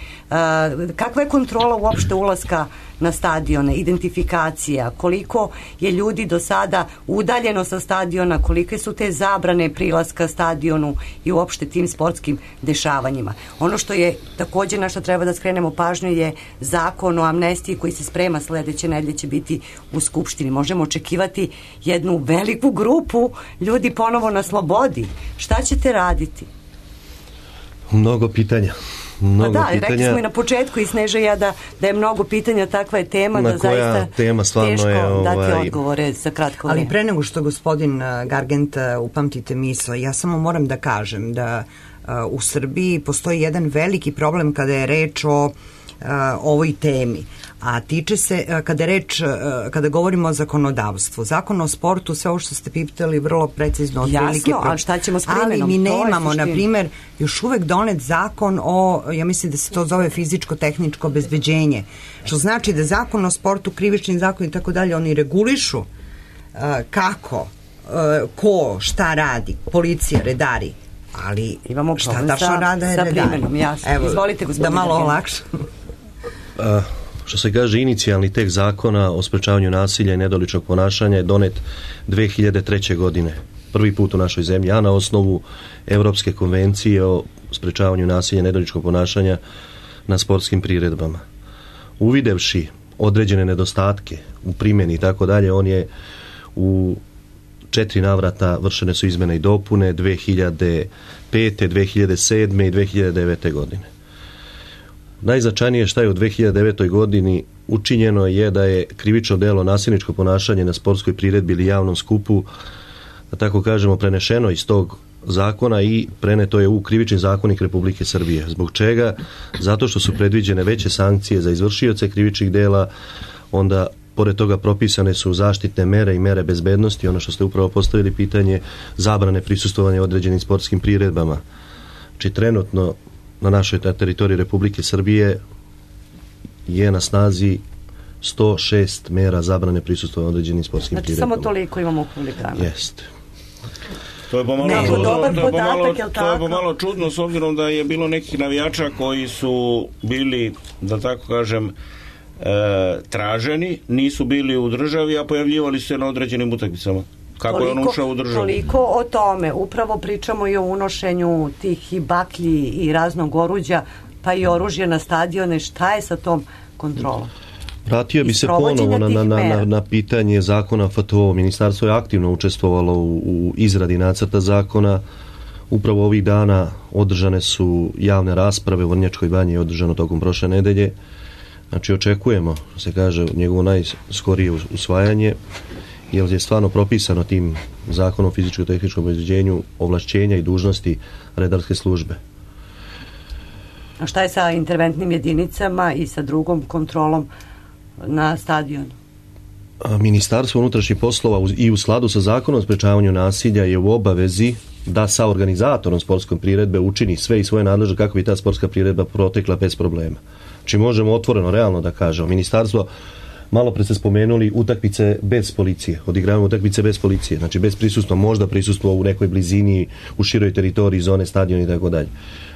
Speaker 5: Kakva je kontrola uopšte ulaska na stadione, identifikacija, koliko je ljudi do sada udaljeno sa stadiona, kolike su te zabrane prilaska stadionu i uopšte tim sportskim dešavanjima. Ono što je također na što treba da skrenemo pažnju je zakon o amnestiji koji se sprema sledeće nedelje, će biti u Skupštini. Možemo očekivati jednu veliku grupu ljudi ponovo na slobodi. Šta ćete raditi?
Speaker 8: Mnogo pitanja.
Speaker 5: Rekli smo i na početku i Sneža ja da je mnogo pitanja, takva je tema da zaista
Speaker 8: tema
Speaker 5: teško je, dati odgovore za kratko vrijeme.
Speaker 11: Ali pre nego što gospodin Gargent upamtite misle, ja samo moram da kažem da u Srbiji postoji jedan veliki problem kada je reč o ovoj temi, a tiče se, kada govorimo o zakonodavstvu, zakon o sportu, sve ovo što ste pitali vrlo precizno otprilike.
Speaker 5: Jasno, ali šta ćemo s primenom?
Speaker 11: Ali mi nemamo, na primer, još uvek donet zakon o, ja mislim da se to zove fizičko-tehničko obezbeđenje, što znači da zakon o sportu, krivični zakon i tako dalje, oni regulišu kako, ko, šta radi, policija, redari, ali
Speaker 5: imamo
Speaker 11: šta tačno rade
Speaker 5: sa primenom, jasno.
Speaker 11: Evo,
Speaker 5: izvolite, gospodine.
Speaker 11: Da malo olakšam.
Speaker 8: Što se kaže, inicijalni tekst zakona o sprečavanju nasilja i nedoličnog ponašanja je donet 2003. godine. Prvi put u našoj zemlji, a na osnovu Evropske konvencije o sprečavanju nasilja i nedoličnog ponašanja na sportskim priredbama. Uvidevši određene nedostatke u primjeni i tako dalje, on je u 4 navrata vršene su izmene i dopune 2005., 2007. i 2009. godine. Najznačajnije što je u 2009. godini učinjeno je da je krivično delo nasilničko ponašanje na sportskoj priredbi ili javnom skupu, da tako kažemo, prenešeno iz tog zakona i preneto je u Krivični zakonik Republike Srbije. Zbog čega? Zato što su predviđene veće sankcije za izvršioce krivičnih dela, onda pored toga propisane su zaštitne mere i mere bezbednosti, ono što ste upravo postavili pitanje, zabrane prisustvovanja određenim sportskim priredbama. Znači trenutno na našoj teritoriji Republike Srbije je na snazi 106 mera zabrane prisustvovanja određenim sportskim priredbama.
Speaker 5: Samo toliko imamo u huligana.
Speaker 8: Jeste.
Speaker 10: To je pomalo čudno s obzirom da je bilo nekih navijača koji su bili, da tako kažem, traženi, nisu bili u državi, a pojavljivali se na određenim utakmicama. Kako je on ušao u državu?
Speaker 5: Toliko o tome. Upravo pričamo i o unošenju tih i baklji i raznog oruđa, pa i oružje na stadione. Šta je sa tom kontrolom?
Speaker 8: Vratio bi se ponovo na pitanje zakona FTO. Ministarstvo je aktivno učestvovalo u izradi nacrta zakona. Upravo ovih dana održane su javne rasprave u Vrnjačkoj banji, je održano tokom prošle nedelje. Znači očekujemo, se kaže, njegovo najskorije usvajanje, jer je stvarno propisano tim zakonom o fizičko-tehničkom obezbeđenju ovlašćenja i dužnosti redarske službe.
Speaker 5: A šta je sa interventnim jedinicama i sa drugom kontrolom na stadionu?
Speaker 8: Ministarstvo unutrašnjih poslova i u skladu sa zakonom o sprečavanju nasilja je u obavezi da sa organizatorom sportske priredbe učini sve i svoje nadležne kako bi ta sportska priredba protekla bez problema. Znači možemo otvoreno, realno da kažemo. Ministarstvo, malo pre ste spomenuli, utakmice bez policije, odigravamo utakmice bez policije, znači bez prisustva, možda prisustvo u nekoj blizini, u široj teritoriji, zone, stadiona i tako dalje.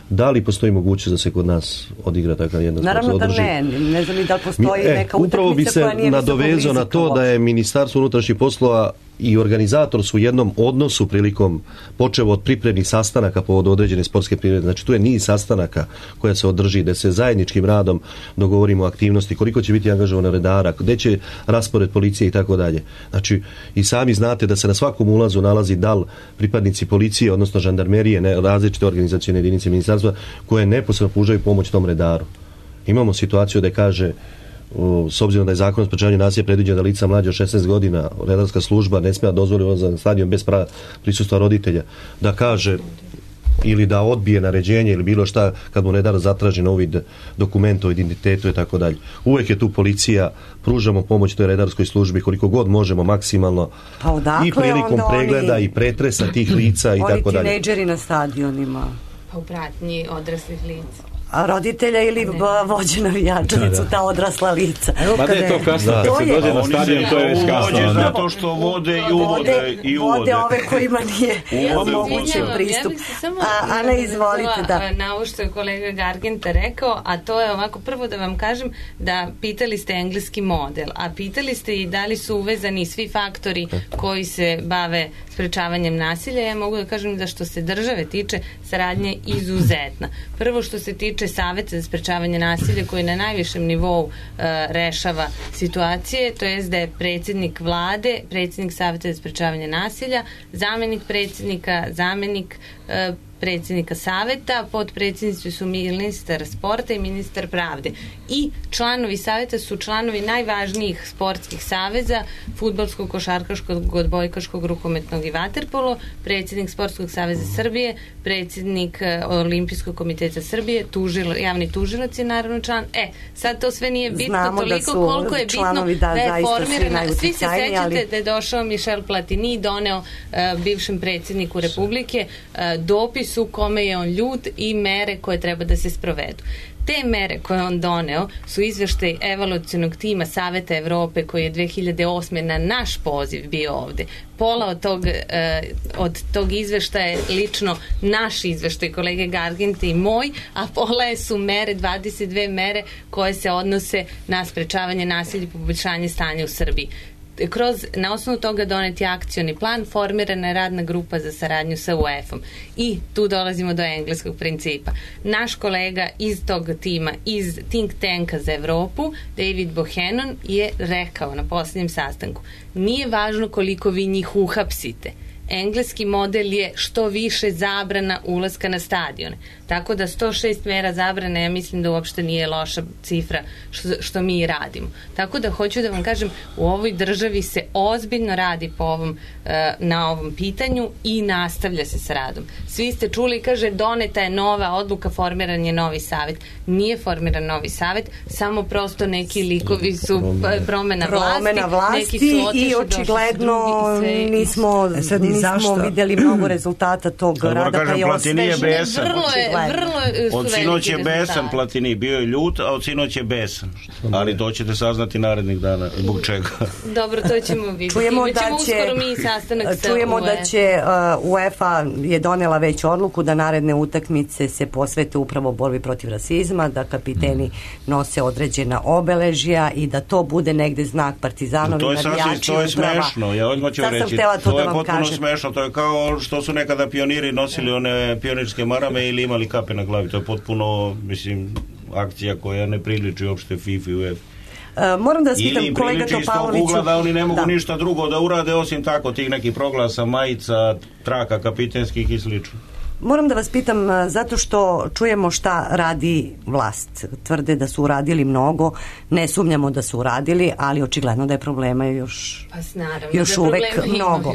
Speaker 8: Da li postoji mogućnost da se kod nas odigra takav jedan sport?
Speaker 5: Naravno da ne znam i da li postoji neka utakmica koja nije visoko
Speaker 8: upravo bi se nadovezao na to da je Ministarstvo unutrašnjih poslova i organizator su u jednom odnosu prilikom počevo od pripremnih sastanaka povodom određene sportske priredbe. Znači tu je niz sastanaka koja se održi, da se zajedničkim radom dogovorimo aktivnosti, koliko će biti angažovano redara, gde će raspored policije i tako dalje. Znači i sami znate da se na svakom ulazu nalazi dal pripadnici policije, odnosno žandarmerije, različite organizacione jedinice ministarstva koje neposredno pružaju pomoć tom redaru. Imamo situaciju da kaže, s obzirom da je zakon o sprečavanju nasilja predviđeno da lica mlađe od 16 godina, redarska služba ne smije dozvoliti ulazak na stadion bez prisustva roditelja, da kaže ili da odbije naređenje ili bilo šta kad mu redar zatraži na uvid dokumenta o identitetu i tako dalje. Uvijek je tu policija, pružamo pomoć toj redarskoj službi koliko god možemo maksimalno i prilikom pregleda i pretresa tih lica i tako dalje.
Speaker 5: Oni tinejdžeri na stadionima.
Speaker 7: Pa u pratnji odraslih lica.
Speaker 5: A roditelja ili vođe navijača su ta odrasla lica.
Speaker 9: Ma da je to kasno, kad se dođe na stadion, to je već kasno.
Speaker 10: Zato što vode i uvode.
Speaker 5: Vode ove kojima nije omogućen pristup. Ana, izvolite, da.
Speaker 7: Na ovo što je kolega Gargenta rekao, a to je ovako, prvo da vam kažem da pitali ste engleski model, a pitali ste i da li su uvezani svi faktori koji se bave sprečavanjem nasilja. Ja mogu da kažem da što se države tiče, saradnja je izuzetna. Prvo što se tiče Saveta za sprečavanje nasilja koji na najvišem nivou rešava situacije, to jest da je predsjednik vlade, predsjednik Saveta za sprečavanje nasilja, zamenik predsjednika, zamenik predsjednika saveta, potpredsjednici su ministar sporta i ministar pravde. I članovi saveta su članovi najvažnijih sportskih saveza, fudbalskog, košarkaškog, odbojkaškog, rukometnog i vaterpolo, predsjednik Sportskog saveza Srbije, predsjednik Olimpijskog komiteta Srbije, javni tužilac je naravno član. Sad to sve nije bitno.
Speaker 5: Znamo
Speaker 7: toliko koliko je bitno da je formirana. Svi se sećate da je došao Michel Platini, doneo bivšem predsjedniku Republike dopis u kome je on ljut i mere koje treba da se sprovedu. Te mere koje on doneo su izveštaj evaluacionog tima Saveta Evrope koji je 2008. na naš poziv bio ovde. Pola od tog izveštaja je lično naš izveštaj kolege Garginte i moj, a pola su mere, 22 mere koje se odnose na sprečavanje nasilja i poboljšanje stanja u Srbiji. Na osnovu toga doneti akcioni plan, formirana je radna grupa za saradnju sa UEFA-om. I tu dolazimo do engleskog principa. Naš kolega iz tog tima, iz think tanka za Evropu, David Bohannon, je rekao na posljednjem sastanku: nije važno koliko vi njih uhapsite. Engleski model je što više zabrana ulaska na stadione. Tako da 106 mera zabrane, ja mislim da uopšte nije loša cifra što mi radimo. Tako da hoću da vam kažem, u ovoj državi se ozbiljno radi na ovom pitanju i nastavlja se sa radom. Svi ste čuli, kaže, doneta je nova odluka, formiran je novi savet. Nije formiran novi savet, samo prosto neki likovi su promena vlasti, neki su otišli,
Speaker 5: i očigledno nismo vidjeli mnogo rezultata tog rada, pa je osvežen.
Speaker 10: Od sinoć je besan Platini, bio je ljut, a od sinoć je besan. Ali to ćete saznati narednih dana. Zbog čega?
Speaker 7: Dobro, to ćemo vidjeti. Čujemo
Speaker 5: da će UEFA je donela već odluku da naredne utakmice se posvete upravo borbi protiv rasizma, da kapiteni nose određena obeležja i da to bude negde znak Partizanovi navijači.
Speaker 10: To je smešno, ja odmah ću reći. To je potpuno smešno, to je kao što su nekada pioniri nosili one pionirske marame ili imali kape na glavi. To je potpuno, mislim, akcija koja ne priliči uopšte FIFA i UEFA.
Speaker 5: Moram da vas pitam, kolega Topaloviću... Ili priliči iz tog ugla da oni ne mogu ništa drugo da urade osim tako tih nekih proglasa, majica, traka kapitenskih i slično. Moram da vas pitam, zato što čujemo šta radi vlast. Tvrde da su uradili mnogo, ne sumnjamo da su uradili, ali očigledno da je problema još uvek mnogo.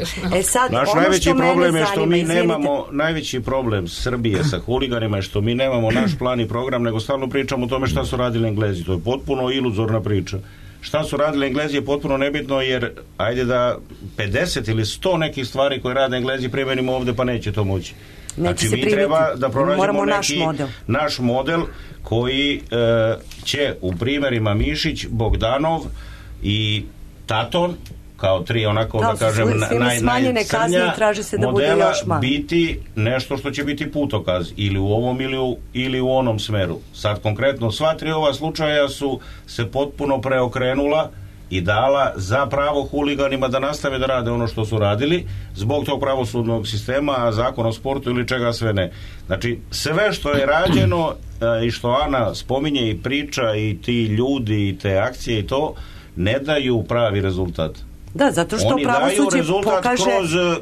Speaker 10: Naš najveći problem je što mi nemamo, najveći problem Srbije sa huliganima je što mi nemamo naš plan i program, nego stalno pričamo o tome šta su radili Englezi. To je potpuno iluzorna priča. Šta su radili Englezi je potpuno nebitno, jer ajde da 50 ili 100 nekih stvari koje rade Englezi primenimo ovde, pa neće to moći. Znači mi treba da pronađemo neki naš model koji će u primjerima Mišić, Bogdanov i Taton kao tri onako da kažem najcrnja modela biti nešto što će biti putokaz ili u ovom ili u onom smeru. Sad konkretno sva tri ova slučaja su se potpuno preokrenula i dala za pravo huliganima da nastave da rade ono što su radili zbog tog pravosudnog sistema, a zakon o sportu ili čega sve ne. Znači sve što je rađeno i što Ana spominje i priča i ti ljudi i te akcije i to ne daju pravi rezultat.
Speaker 5: Da, zato što pravosuđe pokaže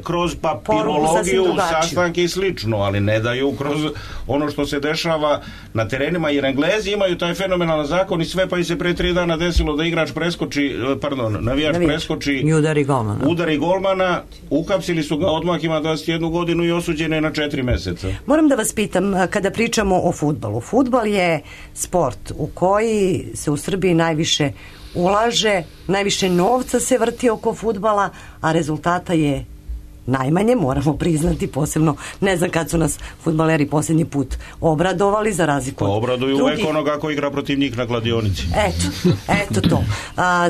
Speaker 10: kroz papirologiju, sastanke i slično, ali ne daju kroz ono što se dešava na terenima, jer Englezi imaju taj fenomenalan zakon i sve, pa i se pre 3 dana desilo da navijač preskoči
Speaker 11: i
Speaker 10: udari golmana, uhapsili su ga, odmah ima 21 godinu i osuđen je na 4 meseca.
Speaker 5: Moram da vas pitam, kada pričamo o fudbalu, fudbal je sport u koji se u Srbiji najviše ulaže, najviše novca se vrti oko fudbala, a rezultata je najmanje, moramo priznati, posebno ne znam kad su nas fudbaleri posljednji put obradovali, za razliku od drugih.
Speaker 10: Obraduju uvek onoga ko igra protiv njih na kladionici.
Speaker 5: Eto to.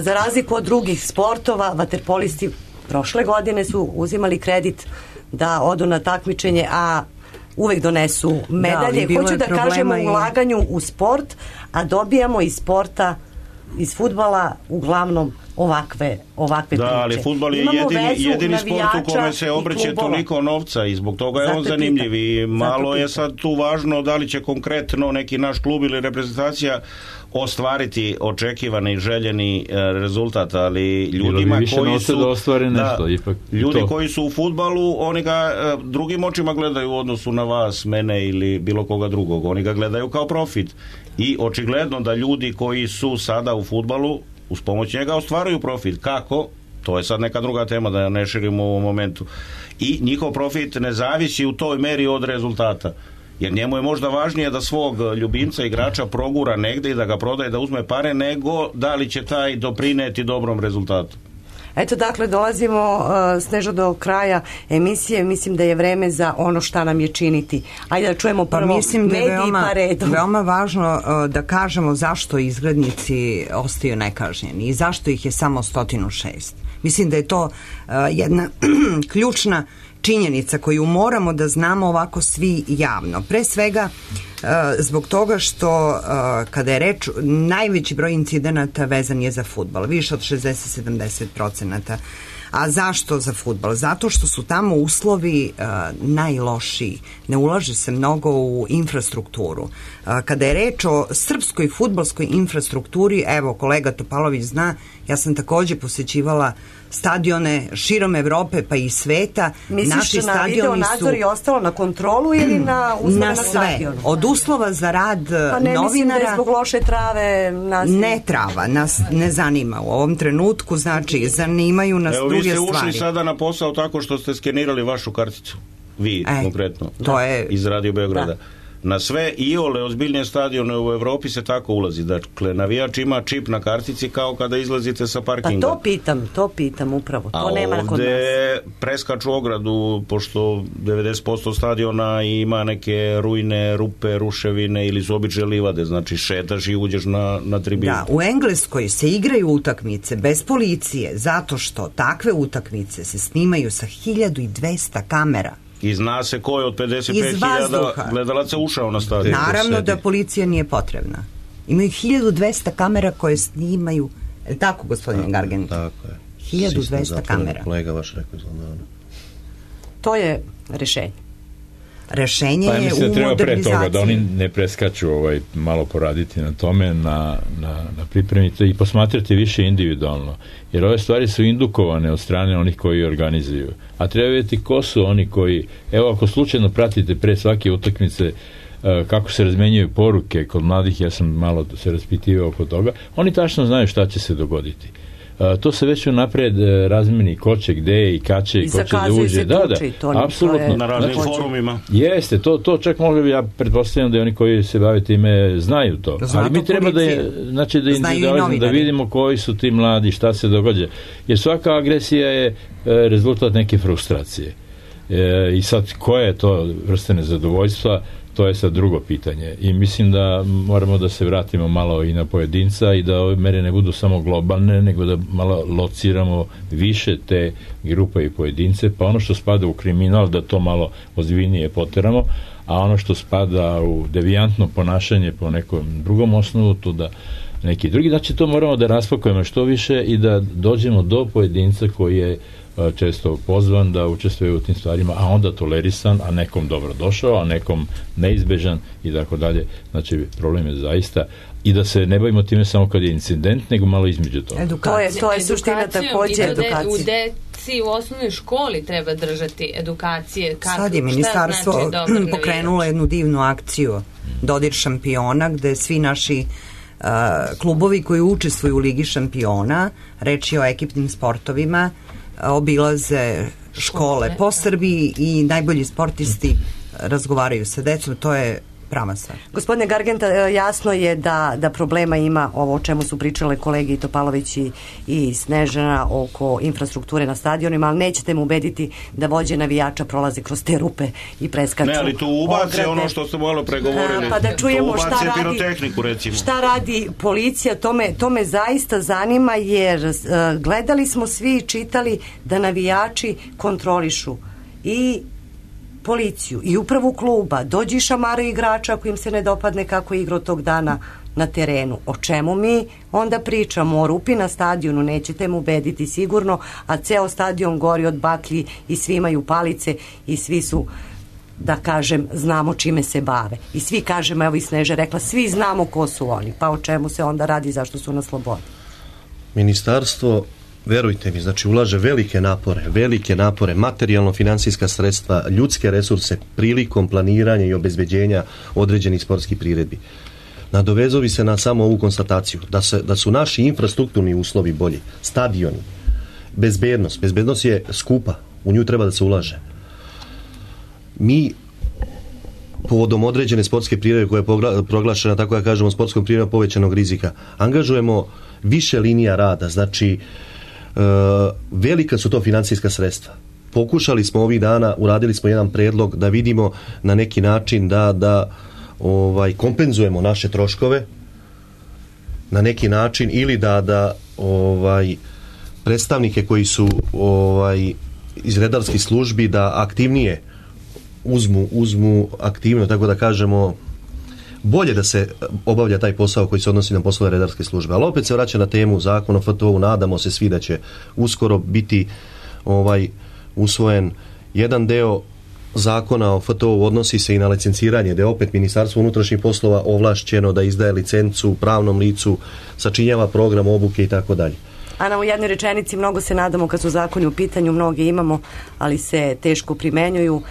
Speaker 5: Za razliku od drugih sportova, vaterpolisti prošle godine su uzimali kredit da odu na takmičenje, a uvek donesu medalje. Hoću da kažemo ulaganju u sport, a dobijamo iz sporta, iz fudbala uglavnom ovakve priče.
Speaker 10: Da, ali fudbal je jedini sport u kome se obrće toliko novca i zbog toga je on zanimljiv i malo je sad tu važno da li će konkretno neki naš klub ili reprezentacija ostvariti očekivani i željeni rezultat, ali ljudima koji su ljudi koji su u fudbalu, oni ga drugim očima gledaju u odnosu na vas, mene ili bilo koga drugog, oni ga gledaju kao profit i očigledno da ljudi koji su sada u fudbalu uz pomoć njega ostvaruju profit. Kako? To je sad neka druga tema da ne širimo u ovom momentu. I njihov profit ne zavisi u toj meri od rezultata. Jer njemu je možda važnije da svog ljubimca, igrača progura negde i da ga prodaje, da uzme pare, nego da li će taj doprineti dobrom rezultatu.
Speaker 5: Eto, dakle, dolazimo, Snežo, do kraja emisije. Mislim da je vreme za ono šta nam je činiti. Ajde da čujemo prvo mediji pa redom.
Speaker 11: Veoma važno da kažemo zašto izgrednici ostaju nekažnjeni i zašto ih je samo 106. Mislim da je to jedna ključna činjenica koju moramo da znamo ovako svi javno. Pre svega zbog toga što kada je reč, najveći broj incidenata vezan je za fudbal, više od 60-70%. A zašto za fudbal? Zato što su tamo uslovi najlošiji. Ne ulaže se mnogo u infrastrukturu. Kada je reč o srpskoj fudbalskoj infrastrukturi, evo, kolega Topalović zna, ja sam takođe posećivala stadione širom Evrope pa i sveta.
Speaker 5: Misliš na video nadzor i ostalo na kontrolu ili na uslove na stadionu?
Speaker 11: Od uslova za rad novinara...
Speaker 5: Pa ne mislim da je zbog loše trave...
Speaker 11: Ne trava, nas ne zanima u ovom trenutku, znači zanimaju nas druge stvari.
Speaker 10: Evo, vi ste ušli sada na posao tako što ste skenirali vašu karticu. Vi, konkretno.
Speaker 11: To je...
Speaker 10: Iz Radio Beograda. Na sve iole ozbiljnije stadione u Evropi se tako ulazi. Dakle, navijač ima čip na kartici kao kada izlazite sa parkinga.
Speaker 5: Pa to pitam upravo. To nema kod nas. A
Speaker 10: ovde preskaču ogradu, pošto 90% stadiona ima neke rujne, rupe, ruševine ili su obične livade. Znači, šetaš i uđeš na tribinu.
Speaker 11: Da, u Engleskoj se igraju utakmice bez policije, zato što takve utakmice se snimaju sa 1200 kamera.
Speaker 10: I zna se ko je od 55.000 gledalaca ušao na stadion.
Speaker 11: Naravno da policija nije potrebna. Imaju 1200 kamera koje snimaju. Je li tako, gospodine Gargen?
Speaker 8: Tako je.
Speaker 11: 1200 kamera.
Speaker 8: Kolega vaš rekao izgledano.
Speaker 5: To je rešenje.
Speaker 11: Rešenje je u modernizaciji.
Speaker 9: Da treba pre toga da oni ne preskaču malo poraditi na tome, na pripremite i posmatrati više individualno. Jer ove stvari su indukovane od strane onih koji organizuju. A treba vidjeti ko su oni koji, evo ako slučajno pratite pre svake utakmice kako se razmenjuju poruke kod mladih, ja sam malo se raspitivao oko toga, oni tačno znaju šta će se dogoditi. To se već unapred razmeni ko će gde i kad će i ko će da uđe. Da, apsolutno.
Speaker 10: Na raznim forumima.
Speaker 9: Jeste, to čak mogu bi, ja pretpostavljam da oni koji se bave time znaju to. Ali mi treba da vidimo koji su ti mladi, šta se događa. Jer svaka agresija je rezultat neke frustracije. I sad koje je to vrste nezadovoljstva, to je sad drugo pitanje. I mislim da moramo da se vratimo malo i na pojedinca i da ove mere ne budu samo globalne, nego da malo lociramo više te grupe i pojedince, pa ono što spada u kriminal da to malo ozbiljnije poteramo, a ono što spada u devijantno ponašanje po nekom drugom osnovu, to da neki drugi. Znači to moramo da raspakujemo što više i da dođemo do pojedinca koji je često pozvan da učestvuje u tim stvarima, a onda tolerisan, a nekom dobro došao, a nekom neizbežan i tako dalje. Znači, problem je zaista i da se ne bavimo time samo kad je incident, nego malo između toga.
Speaker 5: To je suština takođe edukacije.
Speaker 7: U deci u osnovnoj školi treba držati edukacije.
Speaker 11: Sad je ministarstvo pokrenulo jednu divnu akciju Dodir šampiona, gde svi naši klubovi koji učestvuju u Ligi šampiona, reč je o ekipnim sportovima, obilaze škole po Srbiji i najbolji sportisti razgovaraju sa decom, to je prava stvar.
Speaker 5: Gospodine Gargenta, jasno je da problema ima ovo o čemu su pričale kolegi Topalović i Snežana oko infrastrukture na stadionima, ali nećete mu ubediti da vođe navijača prolaze kroz te rupe i preskaču.
Speaker 10: Ne, ali tu ubace ono što ste malo pregovorili.
Speaker 5: Pa da čujemo šta radi policija, to me zaista zanima, jer gledali smo svi i čitali da navijači kontrolišu i policiju i upravu kluba, dođi šamare igrača ako im se ne dopadne kako je igrao tog dana, na terenu. O čemu mi onda pričamo? O rupi na stadionu nećete mu ubediti sigurno, a ceo stadion gori od baklji i svi imaju palice i svi su, da kažem, znamo čime se bave. I svi kažemo, evo i Sneža rekla, svi znamo ko su oni. Pa o čemu se onda radi, zašto su na slobodi?
Speaker 8: Ministarstvo, verujte mi, znači ulaže velike napore, materijalno-finansijska sredstva, ljudske resurse prilikom planiranja i obezbeđenja određenih sportskih priredbi. Nadovezovi se na samo ovu konstataciju da su naši infrastrukturni uslovi bolji, stadioni, bezbednost je skupa, u nju treba da se ulaže. Mi povodom određene sportske priredbe koja je proglašena, tako da kažemo, sportskom priredbom povećanog rizika, angažujemo više linija rada, znači velika su to finansijska sredstva. Pokušali smo ovih dana, uradili smo jedan predlog da vidimo na neki način da kompenzujemo naše troškove na neki način ili da predstavnike koji su iz redarskih službi da aktivnije uzmu aktivno, tako da kažemo, bolje da se obavlja taj posao koji se odnosi na poslove redarske službe. Ali opet se vraća na temu zakona o FTO-u, nadamo se svi da će uskoro biti usvojen jedan deo zakona o FTO-u, odnosi se i na licenciranje, gde je opet Ministarstvo unutrašnjih poslova ovlašćeno da izdaje licencu pravnom licu, sačinjava program obuke i tako dalje.
Speaker 5: Ana, u jednoj rečenici, mnogo se nadamo kad su zakoni u pitanju, mnoge imamo, ali se teško primenjuju.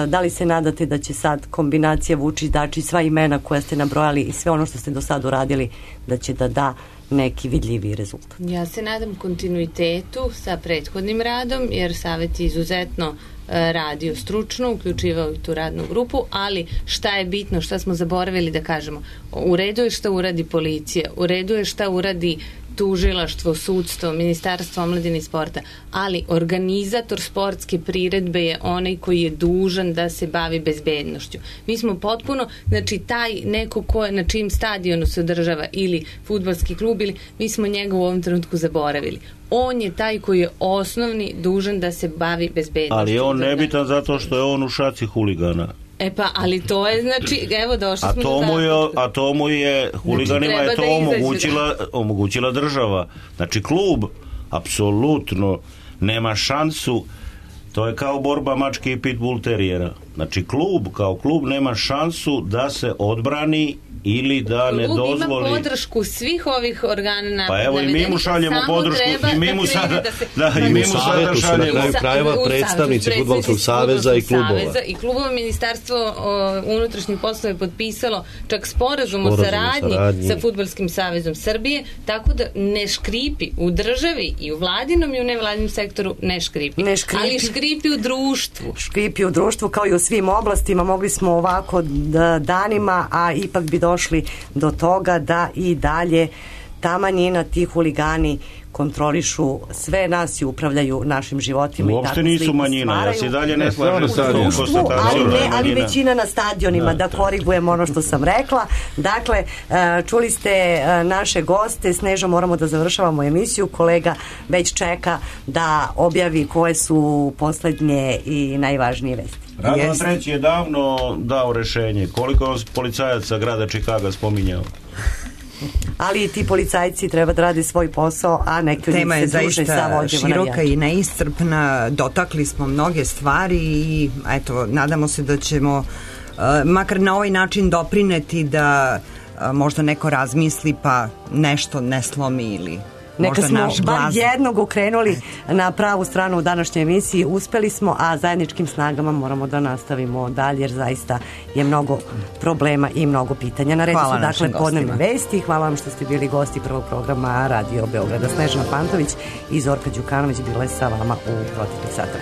Speaker 5: Da li se nadate da će sad kombinacija Vučić-Dačić, sva imena koja ste nabrojali i sve ono što ste do sad uradili, da će da neki vidljiviji rezultat?
Speaker 7: Ja se nadam kontinuitetu sa prethodnim radom, jer Savet je izuzetno radio stručno, uključivao i tu radnu grupu, ali šta je bitno, šta smo zaboravili da kažemo? U redu je šta uradi policija, u redu je šta uradi tužilaštvo, sudstvo, Ministarstvo omladine i sporta, ali organizator sportske priredbe je onaj koji je dužan da se bavi bezbednošću. Mi smo potpuno, znači taj neko ko je na čijim stadionu se održava ili fudbalski klub, ili mi smo njega u ovom trenutku zaboravili. On je taj koji je osnovni dužan da se bavi bezbednošću.
Speaker 10: Ali on nebitan zato što je on u šaci huligana.
Speaker 7: E pa, ali to je, znači, evo došli smo do zaključka.
Speaker 10: A to mu je, huliganima je to omogućila država. Znači, klub apsolutno nema šansu, to je kao borba mačke i pitbull terijera. Znači, klub kao klub nema šansu da se odbrani ili da ne dozvoli...
Speaker 7: Klub ima podršku svih ovih organa.
Speaker 10: Pa evo i mi mu šaljemo podršku i mi mu sada šaljemo.
Speaker 8: Na kraju krajeva predstavnici Fudbalskog saveza i klubova.
Speaker 7: I klubova. Ministarstvo unutrašnjih poslova je potpisalo čak sporazum o saradnji sa Fudbalskim savezom Srbije, tako da ne škripi u državi i u vladinom i u nevladinom sektoru ne škripi. Ali škripi u društvu.
Speaker 5: Škripi u društvu kao i u svim oblastima. Mogli smo ovako danima, a ipak bi došli do toga da i dalje ta manjina, ti huligani kontrolišu sve nas i upravljaju našim životima.
Speaker 10: Uopšte nisu manjina, ja se dalje ne slažem sa tom konstatacijom.
Speaker 5: Ali većina na stadionima, da korigujem ono što sam rekla. Dakle, čuli ste naše goste, Sneža, moramo da završavamo emisiju, kolega već čeka da objavi koje su poslednje i najvažnije vesti.
Speaker 10: Radovan Treći je davno dao rešenje. Koliko je policajaca grada Čikaga spominjao?
Speaker 11: ali i ti policajci treba da rade svoj posao, a neki od njih se druže sa vođama navijača. Tema je zaista široka i neiscrpna, dotakli smo mnoge stvari i eto, nadamo se da ćemo makar na ovaj način doprineti da možda neko razmisli pa nešto ne slomi ili
Speaker 5: neka smo bar jednog okrenuli na pravu stranu u današnjoj emisiji, uspeli smo, a zajedničkim snagama moramo da nastavimo dalje, jer zaista je mnogo problema i mnogo pitanja. Na redu su dakle podnevne vesti. Hvala vam što ste bili gosti prvog programa Radio Beograda. Snežana Pantović i Zorka Đukanović bile sa vama u proteklih sata.